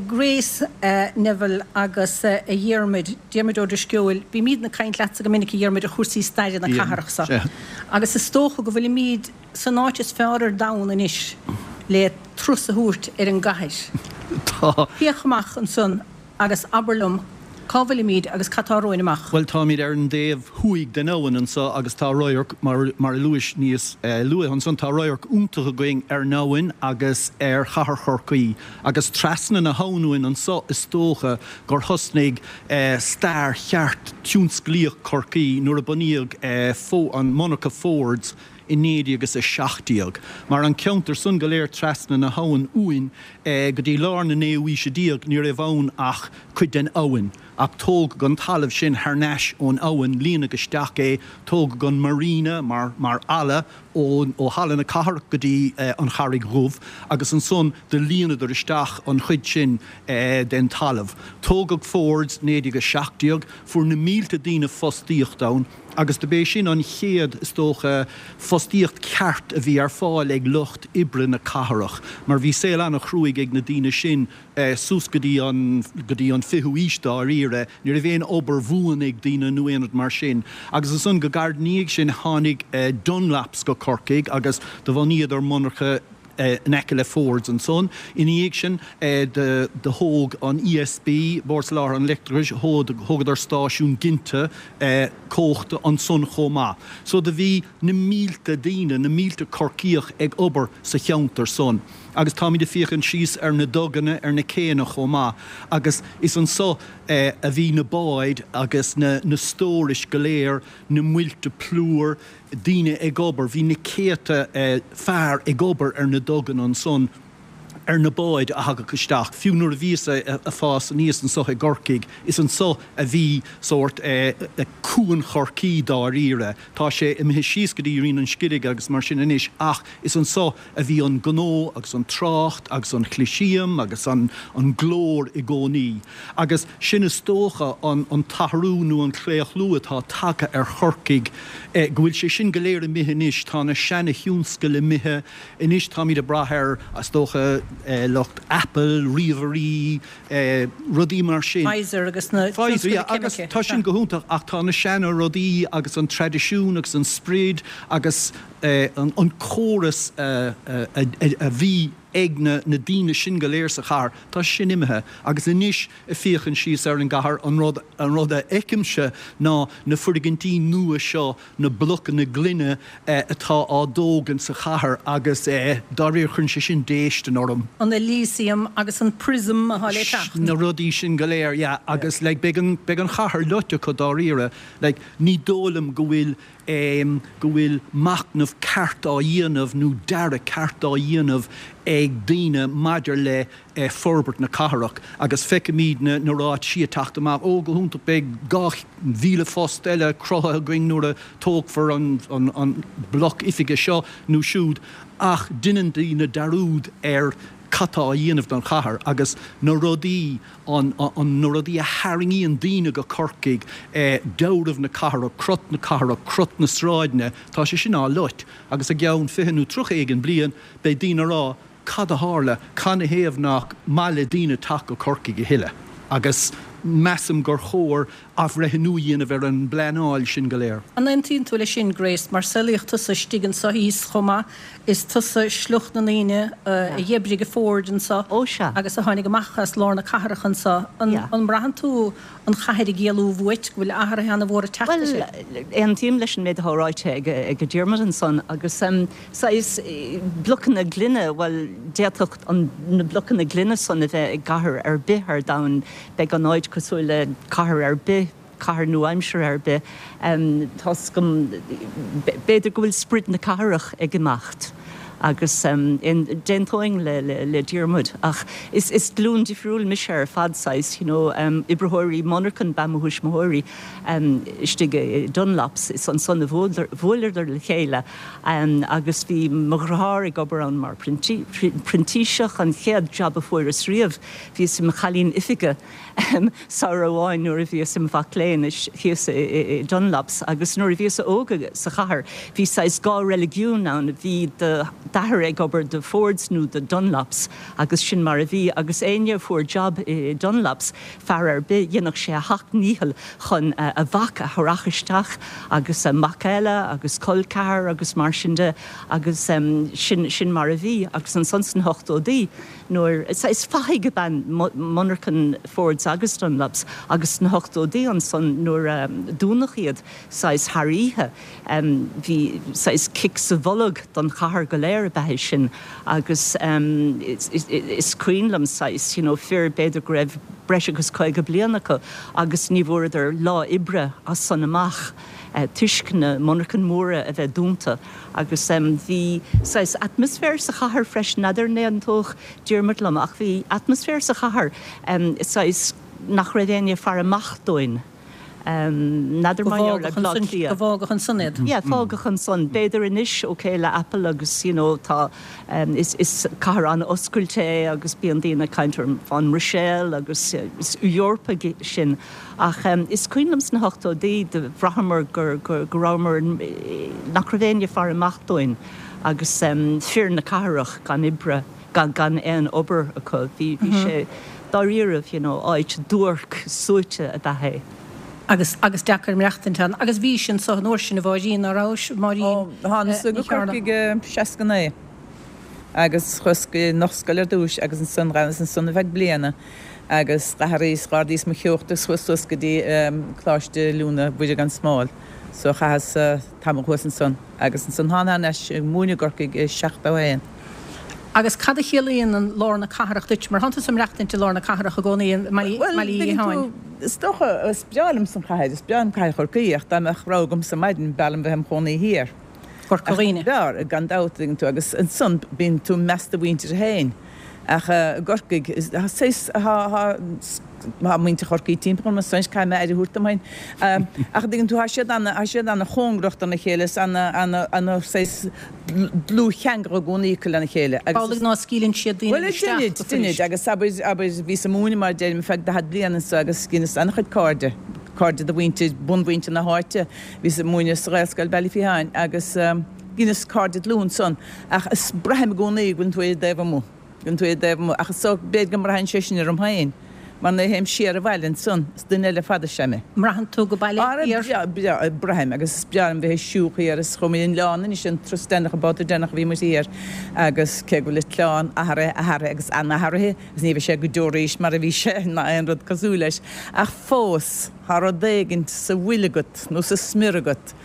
Grace Neville agus a Dhiarmuid, Diarmuid Ó Drisceoil, bímídne ag caint leatsa go minic a Dhiarmuid ar chúrsaí staire na cathrach so. Sea. Agus is dócha go bhfuilimíd san áit is fearr ar domhan anois le turas a thabhairt ar an gcathair. Tá. Féach amach ansan agus abair liom cá bhfuilimíd agus cad tá romhainn amach. Bhuel, táimid ar an dtaobh thuaidh den abhainn anso agus tá radharc, mar mar a luais níos luaithe ansan, tá radharc iontach againn ar an abhainn agus ar chathair Chorcaí. Agus trasna na habhann uainn anso is dócha gur thosnaigh stair cheart tionsclaíoch Chorcaí nuair a bunaíodh an monarcha Fords i 1917. Mar an ceantar san go léir trasna na habhann uainn go dtí lár na naoú haoise déag ní raibh ann ach cuid den abhainn. Ach tógadh an talamh sin thar n-ais ón abhainn, líonadh isteach é, tógadh an marina mar mar fhalla ó ó Halla na Cathrach go dtí an Charraig Dhubh agus ansan do líonadar isteach an chuid sin den talamh. Tógadh Fords 1917, fuair na mílte daoine fostaíocht ann. Agus do b'é sin an chéad, is dócha, fostaíocht ceart a bhí ar fáil ag lucht oibre na cathrach, mar bhí saol an-chruaidh ag na daoine sin suas go dtí an, go dtí an fichiú aois dáiríre. Ní raibh aon obair bhuan ag daoine nó aon rud mar sin. Agus ansan go gairid ina dhiaidh sin tháinig Dunlops go Corcaigh agus do bhunaíodar monarcha, in aice le Fords ansan. Ina dhiaidh sin do thóg an ESB, Bord Soláthair an Leictreachais, thógadar stáisiún ginte cumhachta ansan chomh maith. So do bhí na mílte daoine, na mílte Corcaíoch ag obair sa cheantar san. Agus táimid ag féachaint síos ar na duganna, ar na céanna chomh maith. Agus is anso a bhí na báid agus na stórais go léir, na muilte plúir, daoine ag obair, bhí na céadta fear ag obair ar na duganna ansan, ar na báid a thagadh isteach. Fiú nuair a bhíos-sa ag fás aníos anso i gCorcaigh, is anso a bhí sórt Cuan Chorcaí dáiríre. Tá sé imithe síos go dtí Rinn an Scirig agus mar sin anois ach is anso a bhí an gnó agus an trácht agus an Choliseum agus an glór i gcónaí. Agus sin is dócha an t-athrú nó an claochlú atá tagtha ar Chorcaigh, go bhfuil sé sin go léir imithe anois, tá na seana-thionscail imithe, anois táimid ag brath ar, is dócha, lucht Apple, ríomhairí, rudaí mar sin. Pfizer agus na Pfizer, yeah, agus tá sin go hiontach ach tá na seana-rudaí agus an traidisiún agus an sprid agus an córas a bhí ag na daoine sin go léir sa chathair, tá sin imithe agus anois ag féachaint síos ar an gcathair, an rud, an rud a fheicimse ná na foirgintí nua seo, na blocanna gloine atá á dtógaint sa chathair agus dáiríre cuireann sé sin déistin orm. An Elysium agus an Prism atá le teacht. Na rudaí sin go léir, yeah, agus like beidh an, beidh an chathair loite acu dáiríre, like ní dóigh liom go bhfuil go bhfuil machnamh ceart á dhéanamh nó dearadh ceart á dhéanamh ag daoine maidir le forbairt na cathrach agus feicimid na ráitisí ag teacht amach, ó go hiontach beidh 2,000 post eile cruthaithe againn nuair a tógfar an bloc oifige seo nó siúd ach deineann daoine dearúd ar cad tá á dhéanamh don chathair agus na rudaí an na rudaí a tharraingíonn daoine go Corcaigh, dealramh na cathrach, crot na cathrach, crot na sráideanna, tá sé sin á loit agus i gceann 20 nó 30 éigin bliain beidh daoine a rá cad a tharla, canathaobh nach maith le daoine teacht go Corcaigh a thuilleadh agus measaim gur chóir athbhreithniú a dhéanamh ar an bpleanáil sin go léir. An aontaíonn tú leis sin, Grace, mar saolaíodh tusa istigh anso thíos chomh maith, is tusa sliocht na ndaoine a dh'oibrigh i Ford anso agus a tháinig amach as lár na cathrach anso. An mbraitheann tú an chathair ag éalú uait, go bhfuil athruithe an-mhór ag teacht uirthi? Bhuel, aontaím leis an méid atá ráite ag Diarmuid ansan agus saghas blocanna gloine, bhuel, d'fhéadfadh na blocanna gloine san a bheith i gcathair ar bith ar domhan. Beidh an áit cosúil le cathair ar bith, cathair nua-aimseartha ar bith. Tá's agam, b'fhéidir go bhfuil sprid na cathrach ag imeacht. Agus d'aontóinn le Diarmuid ach is glúin difriúil mise ar fad, saghas, you know, oibritheoirí monarchan ba ea mo thuismitheoirí istigh i Dunlops, is ansan a bhuaileadar le chéile agus bhí mo dheartháir ag obair ann mar phrintíseach, an chéad jab a fuaireas riamh, bhíos i mo chailín oifige. Samhradh amháin nuair a bhíos im mhac léinn thíos i Dunlops agus nuair a bhíos óg sa chathair bhí saghas dhá reiligiún ann, bhí d'athair ag obair do Fords nó do Dunlops agus sin mar a bhí agus éinne a fuair jab i Dunlops, fear ar bith, dhéanfadh sé a sheacht ndícheall chun a mhac a tharrac isteach agus mac eile agus col ceathar agus mar sin de agus sin sin mar a bhí agus ansan sna hochtóidí. Nuair, is fathaigh ab ea monarchan Fords agus Dunlops agus sna hochtóidí ansan nuair a dúnadh iad saghas thar oíche bhí saghas cic sa bholg don chathair go léir ab ea é sin agus is cuimhin liom saghas you know fir b'fhéidir go raibh breis agus 50 bliain acu agus ní bhfuaireadar lá oibre as san amach toisc na monarchain móra a bheith dúnta. Agus bhí saghas atmaisféar sa chathair freisin, n'fheadar an aontódh Diarmuid liom, ach bhí atmaisféar sa chathair saghas nach raibh éinne ag faire amach dúinn. N'fheadar Go mar gheall ar Bhleá Cliath. Go bhfágadh ansan iad. Yeah, fágadh ansan. B'fhéidir anois, ok, le Apple agus you know tá, is cathair an-oscailte é agus bíonn daoine ag caint ar fán mBruiséil agus is Eorpaigh sinn. Ach is cuimhin liom sna hochtóidí, do bhraitheamar go rabhamar, nach raibh éinne ag faire amach dúinn agus fir na cathrach gan oibre, gan aon obair acu. Bhí sé dáiríribh, you know, áit duairc, suaite ab ea é. Agus, agus deacair maireachtaint ann. Agus bhís anso an uair sin, a Mháirín, ná rabhais, Máirín Ó, thánas go Ní Chearna? Corcaigh i 69 agus chuas go Ollscoil ar dtúis agus ansan, dh'fhanas ansan ar feadh bliana. Agus d'athraíos, dh'ardaíos mo theocht agus chuas suas go dtí Coláiste Oiliúna Mhuire gan Smál. So chaitheas tamall thuas ansan. Agus ansan thána thar n-ais ag múineadh i gCorcaigh i 71. Agus cad a chiallaíonn an lár na cathrach duit? Mar thánn tusa ag maireachtaint i lár na cathrach i gcónaí i mBaile Bhuel, Uí tuigeann Fhiacháin. tú, is dócha, is breá liomsa an chathair, is breá liom cathair Chorcaí ach dá mbeadh rogha agamsa maidin b'fhearr liom bheith im chónaí thiar. Corca Dhuibhne. B'fhearr, gan dabht, tuigeann tú, agus ansan bíonn tú i measc do mhuintire féin. Ach i gCorcaigh, tá muintir Chorcaí timpeall orm ansan, caithfidh mé aire a thabhairt dom féin. Ach an dtuigeann tú, tá siad ana, tá siad ana chóngarach dona chéile, is ana, ana, ana saghas dlúthcheangal i gcónaí acu lena chéile. Agus Amhlaidh ná scaoileann siad daoine Bhuel, isteach deinid, go deinid, fuirist. agus abair, abair, bhíos ag múineadh mar a deirim ar feadh daichead bliain anso agus dheineas an-chuid cairde, cairde de mhuintir, bunmhuintir na háite. Bhíos ag múineadh sa Ghaelscoil Baile Fiatháin agus dheineas cairde dlúth ansan. Ach is braithim i gcónaí go bhfuileann tú ar an dtaobh amuigh, go bhfuileann tú ar an dtaobh amuigh. Ach is dócha, b'fhéidir go mbraitheann sé sin orm féin, mar nuair a théim siar abhaile ansan, is duine eile ar fad is ea mé. mbraitheann tú go baile Ara, thiar? breá, breá, braithim, agus is breá liom bheith ag siúl thiar is chuaigh muid an oileán anois, an turas deireanach, an babhta deireanach a bhí muid thiar, agus cé go bhfuil an t-oileán athraithe, athraithe agus an-athraithe, agus ní bheidh sé go deo arís mar a bhí sé ná aon rud cosúil leis, ach fós, tá rud éigint sa bhfuil agat nó sa smior agat,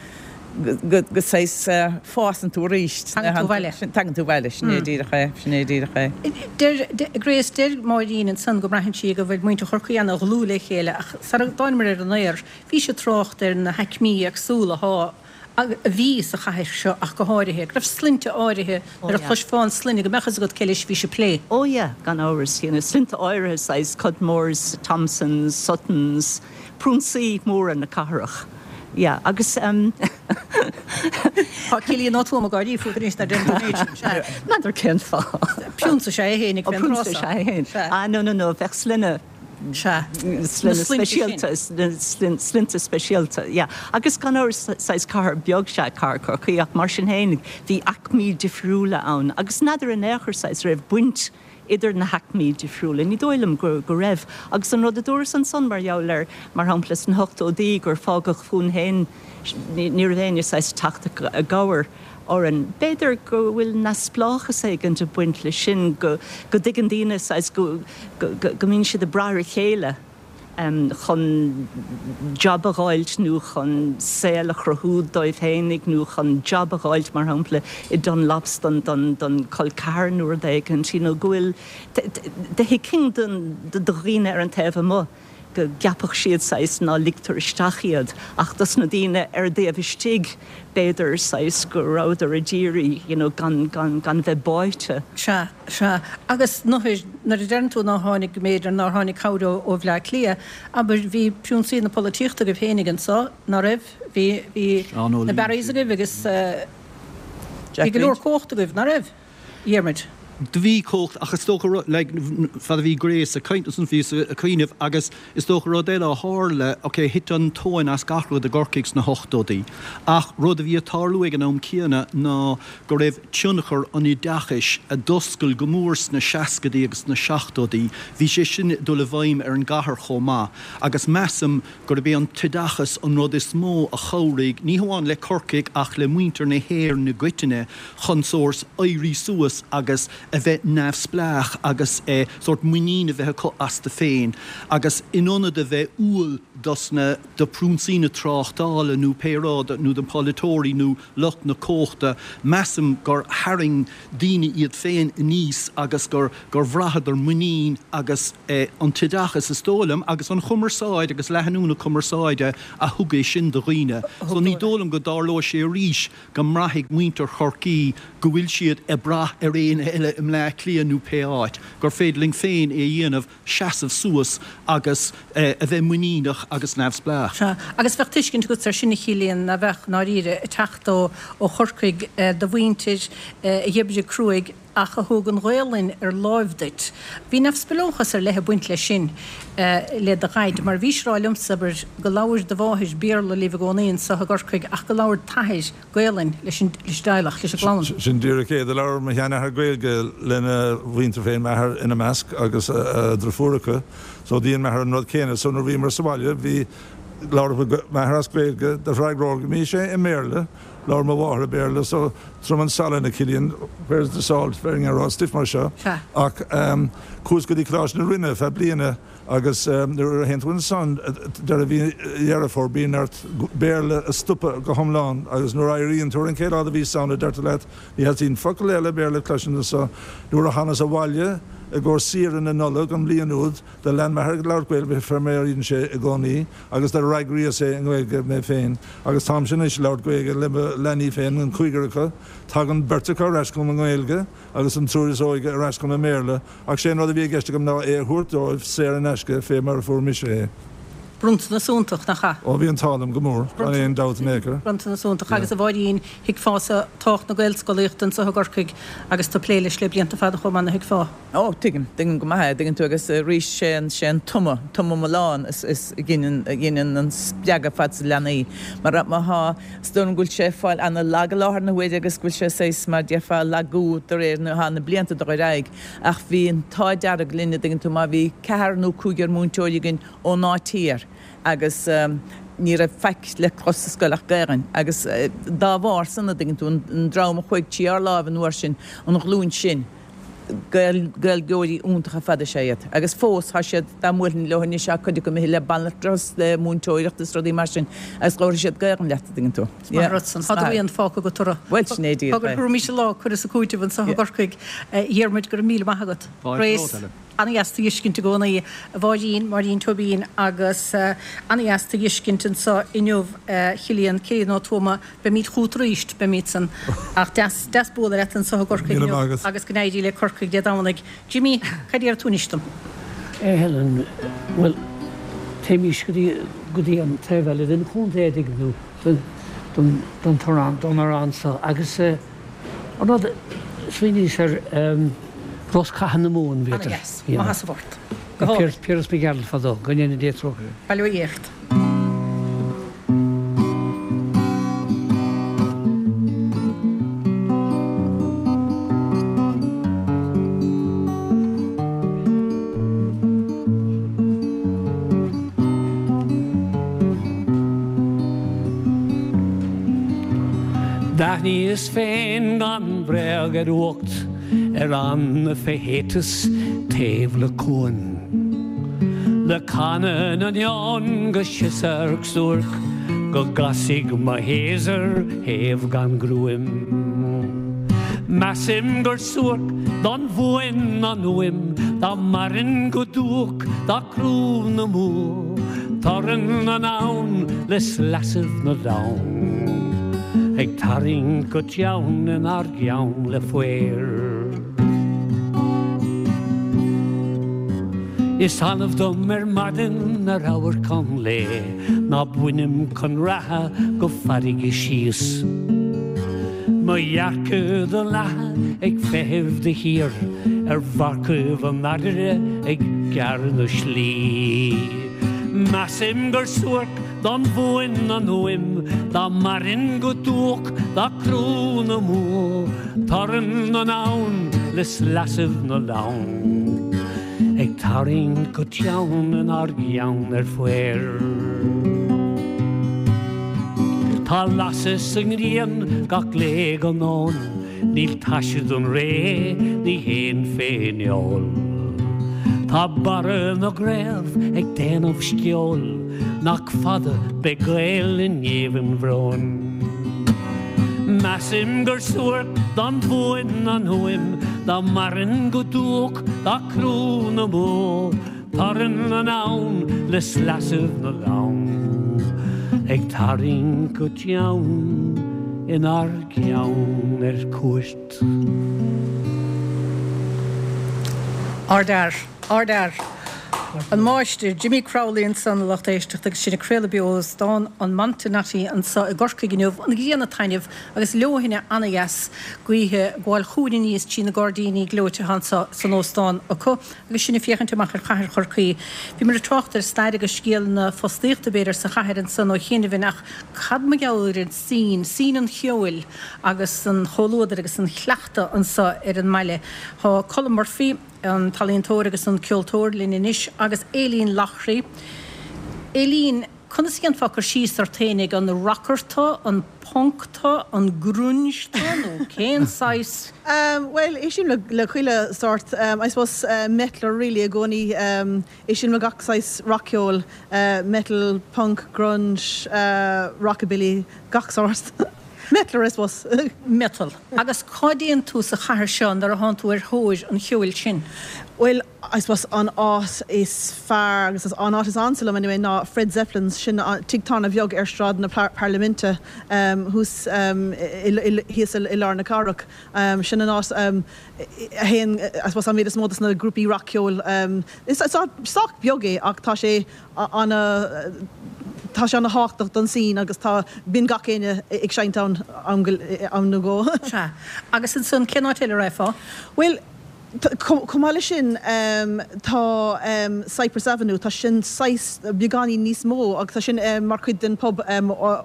go saghas fásann tú arís. Tagann tú abhaile. Tagann tú abhaile, sin é díreach é, sin é díreach é. Deir Grace, deir Máirín ansan go mbraitheann sí go bhfuil muintir Chorcaí ana-dhlúth le chéile ach sara dtánamar ar an aer bhí sí ag trácht ar na haicmí éagsúla athá, a bhí sa chathair seo ach go háirithe, go raibh sloinnte áirithe nuair a chloisfeá an sloinne go mbeadh fhios agat cé leis a bhí sí ag plé. Oh yeah, gan amhras, you know, sloinnte áirithe saghas Cudmores, Thompsons, Suttons, Prionsaí móra na cathrach. Yeah, agus em. Tá Cillian Ó Tuama ag gáirí fút anois nuair a deireann tú an méid sin. Sea. N'fheadar cén fáth. Prionsa is ea é féin ag Ó, fén prionsa is tráth ea é féin. Sea. Ah, no, no, no, bheadh sloinne. Sea. Sloinne Na sloinnte sin. speisialta, sloinnte speisialta, yeah. Agus gan amhras, saghas cathair beag is ea cathair Chorcaí ach mar sin féin bhí aicmí difriúla ann agus n'fheadar in aon chor saghas raibh baint idir na haicmí difriúla. Ní dóigh liom go raibh. Agus an rud a dúras ansan mar gheall ar, mar shampla, sna hochtóidí gur fágadh fúinn féin, ní raibh éinne saghas ag teacht i gcabhair orainn. B'fhéidir go bhfuil neamhspleáchas éigint ag baint leis sin, go dtuigeann daoine saghas go mbíonn siad ag brath ar a chéile. chun jab a dh'fháilt nó chun saol a chruthú dóibh fhéinig nó chun jab a dh'fháilt, mar shampla, i Dunlops don, don, don col ceathar nó rud éigint, you know, go bhfuil, do thuigfinn do, do dhaoine ar an taobh amuigh. go gceapfadh siad saghas ná ligtear isteach iad ach dos na daoine ar an dtaobh istigh b'fhéidir saghas go rabhadar a d'iarraidh you know gan gan gan bheith báite. Sea, sea. Agus nuair a deireann tú nár tháinig, b'fhéidir nár tháinig cabhair ó ó Bhleá Cliath, abair, bhí priúnsaí na polaitíochta agaibh féinig anso, ná raibh? Bhí, bhí na Barrys agaibh agus bhí go leor cumhacht agaibh, ná raibh? Dhiarmuid. Do bhí cumhacht ach is dócha rud, like, fad a bhí Grace ag caint ansan bhíos ag cuimhneamh agus is dócha rud eile a tharla, ok, thit an tóin as gach rud i gCorcaigh sna hochtóidí ach rud a bhí ag tarlú ag an am céanna ná go raibh tionchar an oideachais a d'oscail go mór sna seascaidí agus sna seachtóidí, bhí sé sin ag dul i bhfeidhm ar an gcathair chomh maith agus measaim gurb é an t-oideachas an rud is mó a chabhraigh, ní hamháin le Corcaigh ach le muintir na hÉireann i gcoitinne, chun sórt éirí suas agus a bheith neamhspleách agus sórt muinín a bheith acu astu féin agus in ionad a bheith umhal dos na, do phriúnsaí na tráchtála nó pé rud, nó do pholaiteoirí nó lucht na cumhachta, measaim gur tharraing daoine iad féin aníos agus gur, gur bhraitheadar muinín agus an t-oideachas, is dóigh liom, agus an chumarsáid agus leathnú na cumarsáide a thug é sin do dhaoine. So ní dóigh liom go dtarlóidh sé arís go mbraithfidh muintir Chorcaí go bhfuil siad ag brath ar éinne eile i mBleá Cliath nó pé áit, gur féidir linn féin é a dhéanamh, seasamh suas agus a bheith muiníneach agus neamhspleách. Sea, agus bheadh tuiscint agat ar sin, a Chillian, ná beadh, i ndáiríre, ag teacht ó Chorcaigh do mhuintir a dh'oibrigh cruaidh ach a thug an Ghaolainn ar láimh duit. Bhí neamhspleáchas ar leith ag baint leis sin, le do dhaid, mar bhís ag rá liomsa, abair, go labhair do mháthair Béarla libh i gcónaí anso i gCorcaigh ach go labhair t'athair Gaolainn leis an dteaghlach, leis an gclann. Sin díreach é. Do labhair mo sheanathair Gaeilge lena mhuintir féin, m'athair ina measc agus a driofúracha, so dhein m'athair an rud céanna. So nuair a bhíomar sa bhaile, bhí, labhair m'athair as Gaeilge, do fhreagróimis é i mBéarla. Labhair mo mháthair i Béarla so trom an salann a Chillian, where's the salt, bheinn ag rá stuif mar seo. Ach chuas go dtí Coláiste na Rinne feadh bliana agus nuair a théann tú ansan deireadh mhí Dheireadh Fómhair bíonn ort Béarla a stopadh go hiomlán agus nuair a éiríonn tú ar an chéad lá de mhí Samhna deirtear leat ní theastaíonn focal eile Béarla a chloisint anso. Nuair a thánas abhaile i gcomhair saoire na Nollag an bhliain úd Do lean m'athair ag labhairt Gaeilge fé mar a dhein sé i gcónaí agus do fhreagraíos é i nGaeilge mé féin agus táimse anois ag labhairt Gaeilge le mo leanaí féin, an cúigear acu. Tagann beirt acu ar ais chugam i nGaeilge agus an triúr is óige ar ais chugam i mBéarla ach sé an rud a bhí i gceist agam ná é a thabhairt dóibh saor in aisce fé mar a fuair mise é. Bronntanas iontach, nach ea? Ó bhí an t-ádh liom go mór, gan aon dabht in aon chor. Bronntanas iontach. Agus a Mháirín, thuigfeása tábhacht na Gaelscolaíochta anso i gCorcaigh agus tú ag plé leis le blianta fada chomh maith, nach dtuigfeá? Ó, tuigim, tuigim go maith é, tuigeann tú, agus arís, sé an, sé an tumadh, tumadh mallán is, is a ghineann, a ghineann an spreagadh fad sna leanaí. Mar má thá, is dóigh liom go bhfuil sé ag fáil ana-lag i láthair na huaire agus go bhfuil sé saghas, mar déarfá, lagú de réir na, thá na blianta ag dul ar aghaidh. Ach bhí an t-ádh dearg linne, tuigeann tú, má bhí ceathrar nó cúigear múinteoirí againn ón áit thiar agus ní raibh faic le clos sa scoil ach Gaelainn agus dá bharr san, a dtuigeann tú, an dream a chuaigh trí ár láimh an uair sin, an ghlúin sin, Gaeilgeoirí iontacha ar fad is ea iad. Agus fós, tá siad, dá mbuailfinn leo anois, tá cuid acu imithe le banaltra is le múinteoireacht is rudaí mar sin agus labharfaidh siad Gaelainn leat, a dtuigeann tú. Is maith an rud san. Tá do rian fágtha agat orthu. Bhuel, sin é díreach é. Tabharfaimis an lá cur is cúiteamh anso i gCorcaigh. A Dhiarmuid, go raibh míle maith agat. Grace, ana-dheas tú dh'fheiscint i gcónaí. A Mháirín, Máirín Tóibín agus ana-dheas tú dh'fheiscint anso inniu, a Chillian, Cillian Ó Tuama. Beimid chugat arís, beimid san. Ach deas, deas bualadh leat anso i gCorcaigh inniu agus go n-éirí le Corcaigh Dé Domhnaigh. Jimí, cad déarfaidh tú anois dom? A Helen, bhuel, téimís go dtí, go dtí an taobh eile den chontae, a dtuigeann tú, den, den, den torann, don amhrán seo agus eh, an rud, smaoiníos ar eh, Rosc Catha na Mumhan, b'fhéidir. Ana-dheas. Maith as an bport. Go hálainn. Piaras Mac Gearailt fadó, go ndéana Dia trócaire air. Bail ó Dhia ort. D'aithníos féin gan bhréag ar fhuacht ar fhan fé shéitas taobh le cuan. Le canadh na n-ean go siosarc suairc go gcasfaidh mo shéasur shéimh gan ghruaim. Measaim gur suairc don Mhumhain an fhuaim. Dá mairfinn go duac dá crú na mbó, Torann an abhann le sleasaibh na lann, Ag tarraingt go teann inár gceann le faobhar. Is annamh dom ar maidin ar amharc an lae Ná bainim chun reatha go farraige síos. Mo dhearcadh do leathadh ag feitheamh de shíor Ar mharcaibh an fharraige ag gearradh na slí. Measaim gur suairc don bhFuain an fhuaim Dá mairfinn go duac dá crú na mbó Torann an abhann le sleasaibh na lann Ag tarraingt go teann inár gceann ar faobhar. Tá lasadh sa ngrian gach lae go nóin Níl taise don ré, ní théinn fén fheoil. Tá barra na gcraobh ag déanamh sceoil Nach fada beidh Gaeil i ngéibheann bhróin. Measaim gur suairc don bhFuain an fhuaim Dá mairfinn go duac dá crú na mbó Torann an abhann le sleasaibh na lann Ag tarraingt go teann inár gceann ar cuairt. Ardfhear. Ardfhear. An Máistir, Jimmy Crowley ansan, a lucht éisteachta, agus sinn ag craoladh beo ó Óstán an Montenotte anso i gCorcaigh inniu, an ghrian ag taitneamh agus leoithne ana-dheas gaoithe ag gabháil chugainn aníos trí na gairdíní gleoite atá anso san óstán acu agus sinn ag féachaint amach ar chathair Chorcaí. Bhíomar ag trácht ar stair agus scéal na fostaíochta, b'fhéidir, sa chathair ansan ó chianaibh ach cad mar gheall ar an scene, scene an cheoil agus an chomhluadair agus an chleachta anso ar an mbaile. Tá Colm Murphy, an t-ealaíontóir agus an ceoltóir, linn anois agus Aileen Loughrey. Aileen, conas a dhéanfá cur síos ort fhéinig, an rocker tu, an punk tu, an grunge tu nó cén saghas? Bhuel, éistím le chuile sórt, I suppose metaller really i gcónaí. Éistím le gach saghas rac-cheoil, metal, punk, grunge, rockabilly, gach sórt. Metaller, I suppose. Metal. Agus cá dtéann tú sa chathair seo nuair a thánn tú ar thóir an cheoil sin? Bhuel, I suppose an áit is fearr agus an áit is ansa liom anyway ná Fred Zeppelin's, sin tigh tábhairne bheag ar Sráid na Parlaiminte thuas thíos i lár na cathrach. Sin an áit a théann I suppose an méid is mó dos na grúpaí rac-cheoil. Is áit sách beag é ach tá sé ana tá sé ana thábhachtach don scene agus tá bíonn gach éinne ag seinnt ann am go am nó dhó. Sea. Agus ansan cén áit eile a raghfá? Bhuel chomh maith leis sin tá Cyprus Avenue, tá sin saghas beagáinín níos mó agus tá sin mar chuid den pub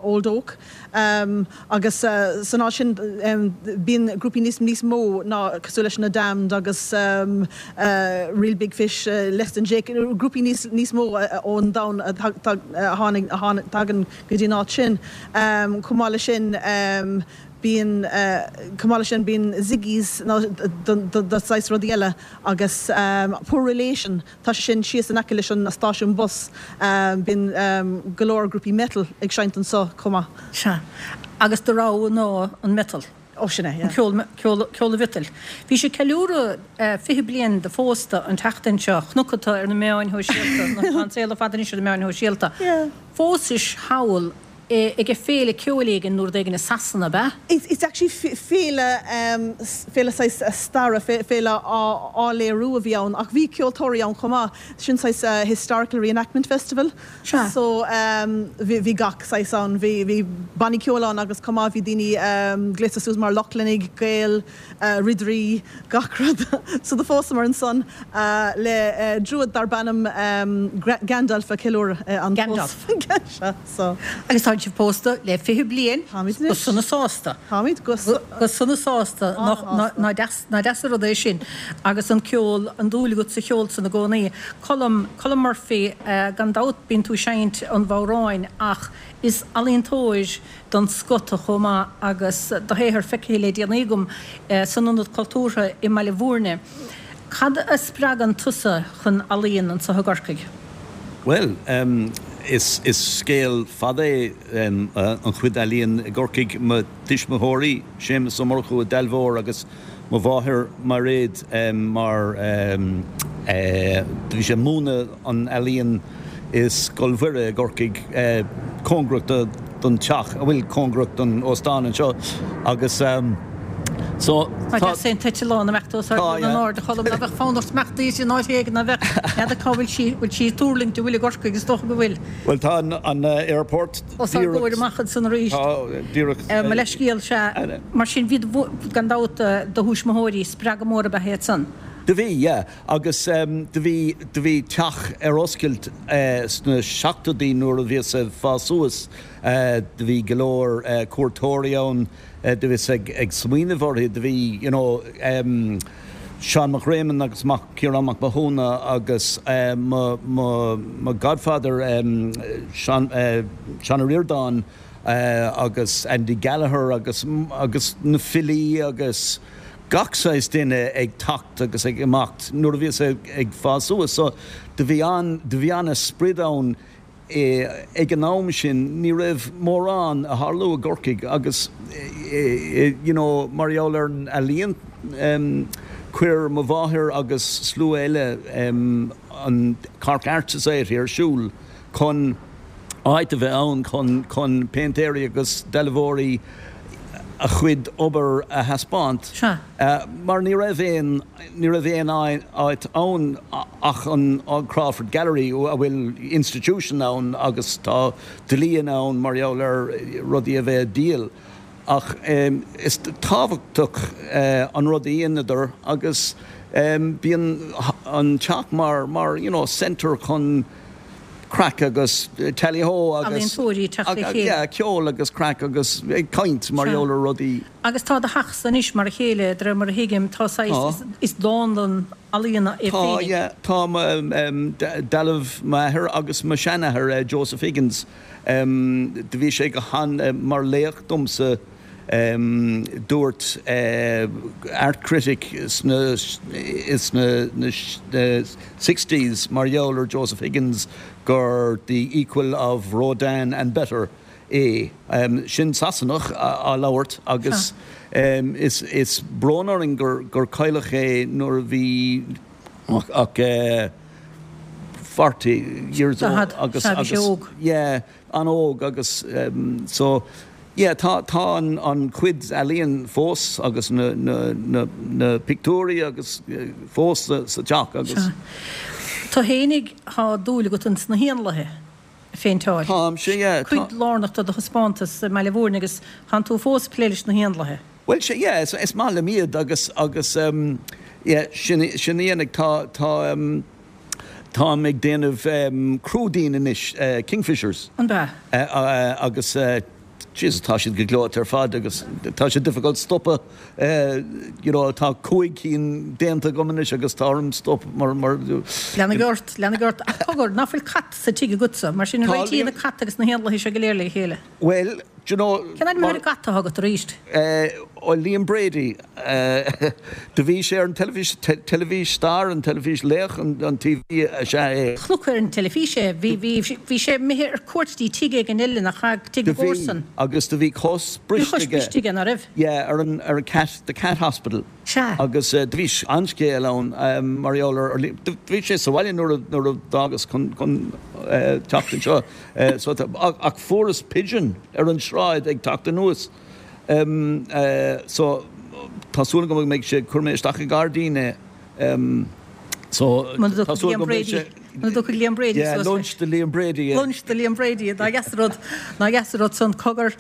Old Oak. Agus san áit sin bíonn grúpaí níos níos mó ná cosúil leis na Damned agus Reel Big Fish, Less Than Jake, grúpaí níos níos mó ón domhan a tháinig a thagann go dtí an áit sin. Chomh maith leis sin bíonn chomh maith leis sin bíonn Ziggy's nó do saghas rudaí eile agus Poor Relation. Tá sé sin síos in aice leis an stáisiún bus. Bíonn go leor grúpaí metal ag seinnt anso chomh maith. Sea. Agus do rogha ná an metal. Ó, sin é, yeah. An ceol, ceol, ceol an mhiotail. Bhí sibh ag ceiliúradh 20 bliain de phósta an tseachtain seo. Chonac tú ar na meáin shóisialta, nó tá an saol ar fad anois ar na meáin shóisialta. Yeah. Phósais thall ag féile ceoil éigin nó rud éigin i Sasana, ab ea? It's actually féile, féile saghas staire, féile á léiriú a bhí ann ach bhí ceoltóirí ann chomh maith. Sin saghas historical reenactment festival. Sea. So bhí gach saghas ann. Bhí, bhí bannaí ceoil ann agus chomh maith bhí daoine gléasta suas mar Lochlannaigh, Gaeil, ridirí, gach rud. So do phósamar ansan le druid darb ainm Gandalf a ceiliúradh an Gandalf. Sea, so. Agus tá sibh pósta le 20 bliain. Táimid anois. Go sona sásta. Táimid go. Go sona sásta. Nach deas, nach deas an rud é sin. Agus an ceol, an dúil agat sa cheol san i gcónaí. Colm, Colm Murphy, gan dabht bíonn tú ag seinnt an bhodhráin ach is ealaíontóir den scoth tu chomh maith agus do shaothar feicthe le déanaí agam san Ionad Cultúrtha i mBaile Bhúirne. Cad a spreagann tusa chun ealaíon anseo i gCorcaigh? Bhuel, is scéal fada é an chuid ealaíon i gCorcaigh. Mo tuismitheoirí, Séamus Ó Murchú, dealbhóir, agus mo mháthair, Mairéad, mar. Do bhí sé ag múineadh an ealaíon i Scoil Mhuire i gCorcaigh, cóngarach don teach, a bhfuil cóngarach don óstán anseo agus so Tá deas é an t-eitleán ag imeacht os ár gcionn in airde, a Cholm, ná bheadh fonn ort imeacht di in áit éigin, ná bheadh? N'fheadar cá bhfuil sí, bhfuil sí ag tuirlingt, an bhfuil i gCorcaigh, is dócha go bhfuil. Bhuel tá an airport Os ár gcomhair amach ansan arís. Tá, díreach. Mo leithscéal, sea. Mar sin, bhí, gan dabht, do thuismitheoirí, spreagadh mór ab ea iad san. Do bhí, yeah. Agus do bhí, do bhí teach ar oscailt sna seachtóidí nuair a bhíos ag fás suas. Do bhí go leor cuairteoirí ann, do bhíos ag, ag smaoineamh orthu. Do bhí, you know, Seán Mac Réamoinn agus mac Ciarán Mac Mathúna agus mo, mo, mo godfather Seán, Seán Ó Ríordáin agus Andy Gallagher agus, agus na filí agus gach saghas duine ag teacht agus ag imeacht nuair a bhíos ag fás suas. So do bhí an, do bhí an-sprid ann ag an am sin ní raibh mórán ag tarlú i gCorcaigh agus you know mar gheall ar an ealaíon chuir mo mháthair agus slua eile an Cork Art Society ar siúl chun áit a bheith ann chun chun péintéirí agus dealbhóirí a chuid obair a thaispeáint mar ní raibh aon ní raibh aon áit ann ach an Crawford Gallery a bhfuil institution ann agus tá dlí ann mar gheall ar rudaí a bheith á díol ach is tábhachtach an rud a dheineadar agus bíonn an teach mar mar you know centre chun craic agus tally ho agus Ealaíontóirí ag teacht le chéile. yeah ceol agus craic agus ag caint mar gheall ar rudaí. Agus tá do theachsa anois mar a chéile, de réir mar a thuigim, tá saghas, is dánlann ealaíona é Tá, féinig. yeah, tá mo, dealbh m'athair agus mo sheanathair, Joseph Higgins, do bhí sé go han, mar laoch domsa, dúirt art critic sna, sna, na sixties mar gheall ar Joseph Higgins gur the equal of Rodin and better. é. Sin Sasanach á labhairt agus is brón orainn gur cailleadh é nuair a bhí ach 40 years old agus yeah an-óg agus so yeah tá tá an chuid ealaíon fós agus na na na pictiúirí agus fós sa teach agus. Tú fhéinig tá dúil agat ins na héanlaithe. a phéinteáil. Táimse, yeah. Cuid lárnach de do thaispeántas i mBaile Mhúirne agus tánn tú fós ag plé leis na héanlaithe. Bhuel, sea, yeah, is maith liom iad agus, agus ehm, yeah, sin, sin a dhéanfaidh, tá, tá ehm, táim ag déanamh ehm, crúidín anois, eh, kingfishers. An b'ea? Eh, eh, agus eh, Jesus, tá siad go gleoite ar fad agus tá sé difficult stopadh, you know, tá 5 cinn déanta agam anois agus tá orm stop mar, mar. Leanfaidh ort, leanfaidh ort. Ach cogar, ná fuil cat sa tigh agatsa? Mar sin an réitíonn an cat agus na héanlaithe seo go léir le chéile? Bhuel, do you know. Cén ainm ar an gcat atá agat arís? Ó, Liam Brady. Do bhí sé ar an teilifís, teilifís star, an teilifís laoch an TV is ea é. Chonac ar an teilifís é. Bhí, bhí, bhí sé imithe ar cuairt dtí tigh éigin eile nach ea, tigh na Do bhí, gcomharsan. agus do bhí cos Bhí briste cos aige. briste aige, ná raibh? Yeah, ar an, ar an cat, the cat hospital. Sea. Agus do bhí an-scéal ann mar gheall ar, ar, do bhí sé sa bhaile nuair a, nuair a d'fhágas chun, chun teacht anseo. So tá, ach fuaireas pigeon ar an sráid ag teacht anuas. So tá súil agam go mbeidh sé, chuir mé isteach i ngairdín é. So tá súil agam go mbeidh sé. Muna dtiocfaidh Liam Brady suas leis. Yeah, lunch do Liam Brady. Lunch do Liam Brady, nach deas an rud, nach deas an rud san. Cogar,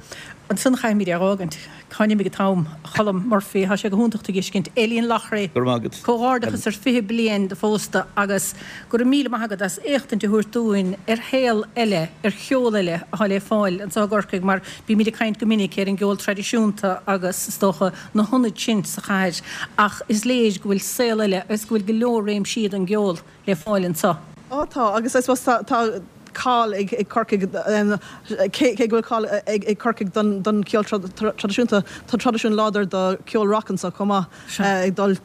ansan chaithfimid é a dh'fhágaint. Cá n-imigh an t-am? A Cholm Murphy, tá sé go hiontach tú a dh'fheiscint. Aileen Loughrey. Go raibh maith agat. Comhghairdeachas ar 20 bliain de phósta agus go raibh míle maith agat as éachtaint a thabhairt dúinn ar shaol eile, ar cheol eile atá le fáil anseo i gCorcaigh mar bímid ag caint go minic ar an gceol traidisiúnta agus, is dócha, na hionaid sin sa chathair ach is léir go bhfuil saol eile agus go bhfuil go leor réimsí don gceol le fáil anseo. Á tá, agus I suppose tá tá cáil ag Corcaigh, cé go bhfuil cáil ag Corcaigh don cheol traidisiúnta, tá traidisiún láidir do cheol rock anseo chomh maith, ag dul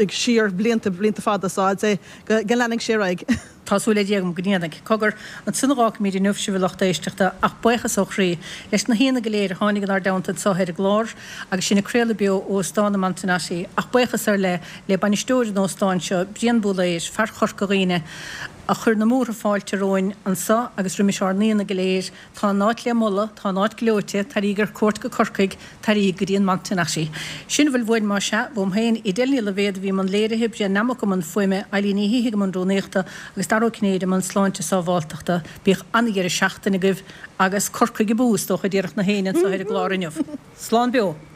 siar blianta, blianta fada, so I'd say go leanfaidh sé ar aghaidh. Tá súil le Dia agam go ndéanfaidh. Cogar, ansin a dh'fhágfaimid inniu sibh a lucht éisteachta, ach buíochas ó chroí leis na haíonna go léir a tháinig inár dteannta anseo ar an gclár agus sinn ag craoladh beo ó Óstán an Montenotte, ach buíochas ar leith le bainisteoir an óstáin seo, Brian Búlaeir, fear Chorca Dhuibhne, a chuir na múrtha fáilte romhainn anseo agus roimis ár n-aíonna go léir. Tá an áit le moladh, tá an áit gleoite, taraíg ar cuairt go Corcaigh, taraíg go dtí an Montenotte. Sin a bhfuil uainn más ea, uaim féin, Edel Ní Loibhéad a bhí i mbun léirithe, Brian Nammock i mbun fuaime, Eileen Ní Shíthigh i mbun rúnaíochta agus Dara Ó Cinnéide i mbun sláinte sábháltachta. Bíodh an-dheireadh seachtaine agaibh agus Corcaigh abú, is dócha, a déarfadh na héinne anseo ar an gclár inniu. Slán beo!